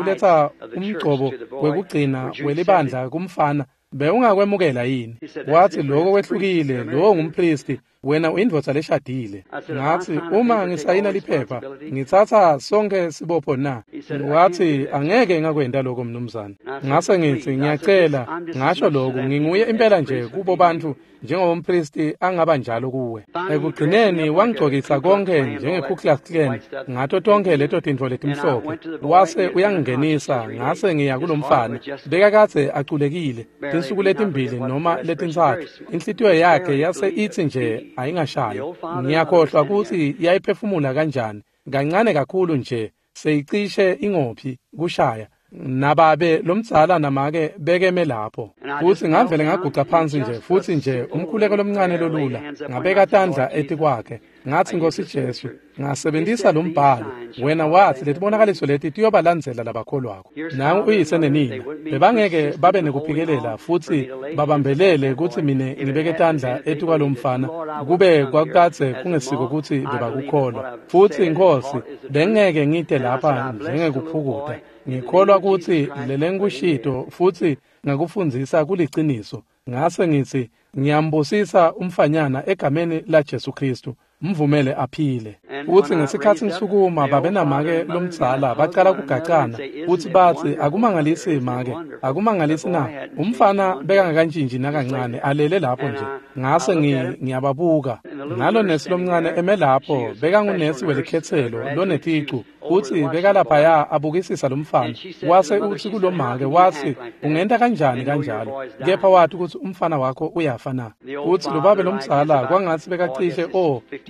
[SPEAKER 1] umgcobo wekugcina welibandla kumfana, bewungakwemukela yini? Wathi lokho kwehlukile, lowo ngumpristi, wena uyindvodza leshadile. Ngathi uma ngisayina liphepha ngitsatsa sonke sibopho na? Wathi angeke ngakwenta lokho mnumzane. Ngase ngithi ngiyacela, ngasho lokhu nginguye impela nje kubo bantu njengoba umpristi angaba njalo kuwe. Ekugcineni wangigcokisa konke njenge-Ku Klux Klan ngato tonke leto tintfo letimhlophe. Wase uyangingenisa, ngase ngiya kulomfana. Bekakadze aculekile tinsuku letimbili noma letintsatfu. Inhlitiyo yakhe yase itsi nje ayingashayi. Ngiyakhohlwa kutsi yayiphefumula kanjani, kancane kakhulu nje seyicishe ingophi kushaya. Nababe lomdzala namake bekeme lapho. Futsi ngavele ngaguca phansi nje, futsi nje umkhuleko lomncane lolula, ngabeka tandla etikwakhe. Ngathi Nkosi Jesu, ngasebentisa lo mbhalo. Wena wathi letibonakaliso leti tiyobalandzela labakholwako. Nangu uyise nenina bebangeke babe nekuphikelela futsi babambelele kutsi mine ngibeke tandla etikwalomfana, kube kwakukadze kungesiko kutsi bebakukholwa. Futsi Nkosi, bengeke ngite lapha njengekuphukuta. Ngikholwa kutsi lelengikushito futsi ngakufundzisa kuliciniso. Ngase ngithi ngiyambusisa umfanyana egameni la Jesu Kristu, mvumele aphile. Futsi ngesikhatsi ngisukuma, babe namake lomdzala bacala kugacana, futsi batsi akumangalisi make, akumangalisi na? Umfana bekangakantshintshi nakancane, alele lapho nje. Ngase ngiyababuka. Nalo nesi lomncane eme lapho, bekangunesi welikhetselo loneticu, futsi bekalaphaya abukisisa lomfana. Wase utsi kulomake, watsi ungenta kanjani kanjalo? Kepha wathi kutsi umfana wakho uyafa na? Utsi lo babe lomdzala kwangatsi bekacishe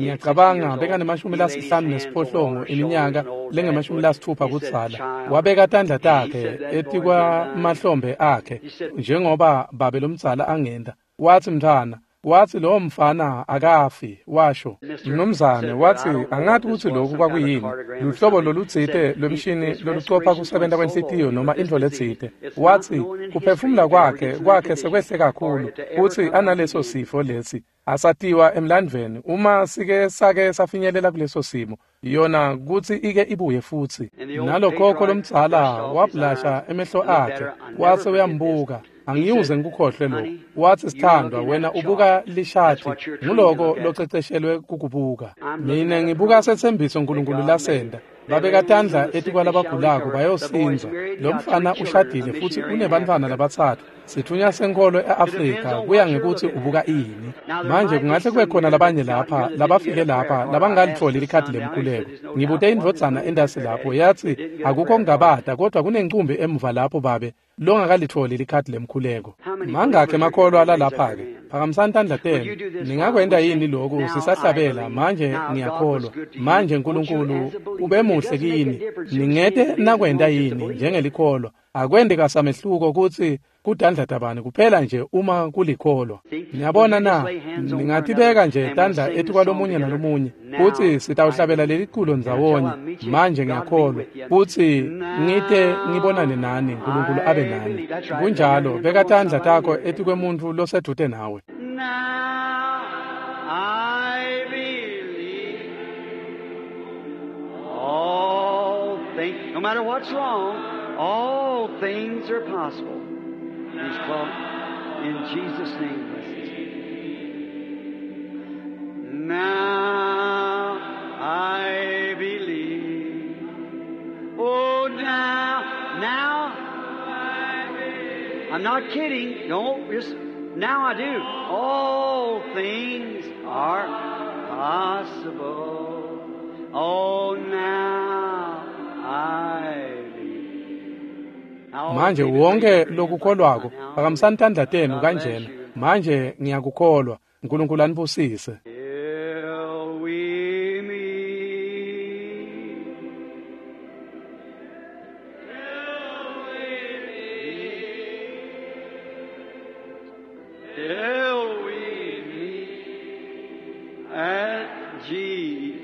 [SPEAKER 1] ngiyacabanga bekane-58 iminyaka lengama-60 kudzala. Wabeka tandla takhe etikwamahlombe akhe njengoba babe lomdzala angenta. Watsi mntfwana, wathi lowo mfana akafi, washo. Mnumzane wathi angathi kutsi lokhu kwakuyini, luhlobo lolutsite lwemshini lolucopha kusebenta kwenhlitiyo noma intfo letsite. Wathi kuphefumula kwakhe sekwehle kakhulu, kutsi analeso sifo lesi asatiwa emlandvweni. Uma sike sake safinyelela kuleso simo, yona kutsi ike ibuye futsi. Nalokhokho lomdzala wablasha emehlo akhe, wase uyambuka. Angiyuze ngikukhohlwe lokho. Wathi sithandwa, wena ubuka lishati, nguloko loceceshelwe kukubuka. Mina ngibuka sethembiso uNkulunkulu lasenda. Babeka tandla etikwalabagulako bayosindza. Lo mfana ushadile futsi unebantfwana labatsatfu. Sithunya senkholo e-Afrika kuya ngekutsi ubuka ini. Manje kungahle kube khona labanye lapha labafike lapha labangalitfoli likhadi lemkhuleko. Ngibute indvodzana endasi lapho, yathi akukho kungabata kodwa kunencumbi emuva lapho babe longakalitfoli likhadi lemkhuleko. Mangakhe emakholwa lalapha-ke? Phakamisani tandla tenu. Ningakwenta yini lokhu sisahlabela? Manje ngiyakholwa. Manje uNkulunkulu ube muhle kini. Ningete nakwenta yini njengelikholwa? Akwente kasamehluko kutsi kutandla tabani kuphela nje uma kulikholwa. Niyabona na? Ningatibeka nje tandla etikwalomunye nalomunye, kutsi sitawuhlabela leli culo ndzawonye. Manje ngiyakholwa kutsi ngite ngibonane nani, uNkulunkulu abe nani. Kunjalo, beka tandla takho etikwemuntfu losedvute nawe.
[SPEAKER 2] Now I believe all things, no matter what's wrong, all things are possible. He's called in Jesus' name. Bless us. I'm not kidding. Don't just now I do. All things are possible. Oh, now I believe. Now,
[SPEAKER 1] Manje wonke lokukholwako phakamisani tandla tenu kanjena. Manje ngiyakukholwa. uNkulunkulu anibusise.
[SPEAKER 2] Till we meet. Till we meet at Jesus'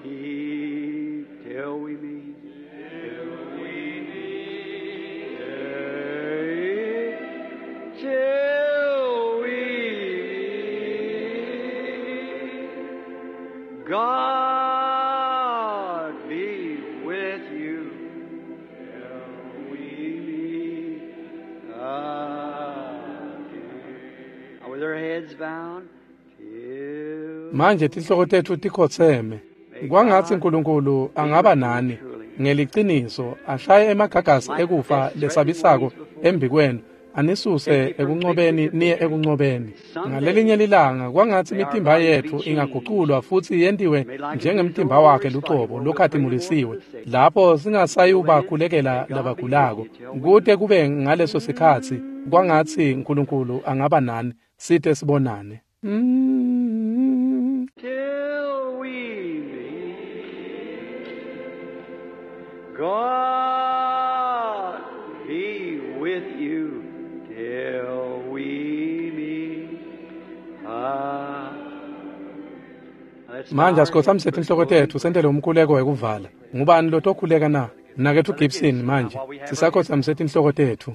[SPEAKER 2] feet. Till we meet. Till we meet. Till we meet. God be with you. Till we meet again. Now with our heads bowed, till
[SPEAKER 1] Manje tinhloko tetfu tikhotseme. Kwangatsi uNkulunkulu angaba nani ngeliciniso ashaye emagagasi ekufa lesabisako embikwenu anisuse ekuncobeni niye ekuncobeni. Ngalelinye lilanga kwangatsi imitimba yetfu ingaguculwa futsi yentiwe njengemtimba wakhe lucobo lokhatimulisiwe lapho singasayubakhulekela labagulako. Kute kube ngaleso sikhatsi kwangatsi uNkulunkulu angaba nani site sibonane.
[SPEAKER 2] Till we meet, God be with you till we meet. Let's bow
[SPEAKER 1] Manje
[SPEAKER 2] our
[SPEAKER 1] asikhothamise
[SPEAKER 2] heads for
[SPEAKER 1] tinhloko
[SPEAKER 2] closing
[SPEAKER 1] tetfu sentele umkhuleko wekuvala. Ngubani lotokhuleka na? Mnaketfu Gibson manje sisakhothamise tinhloko tetfu.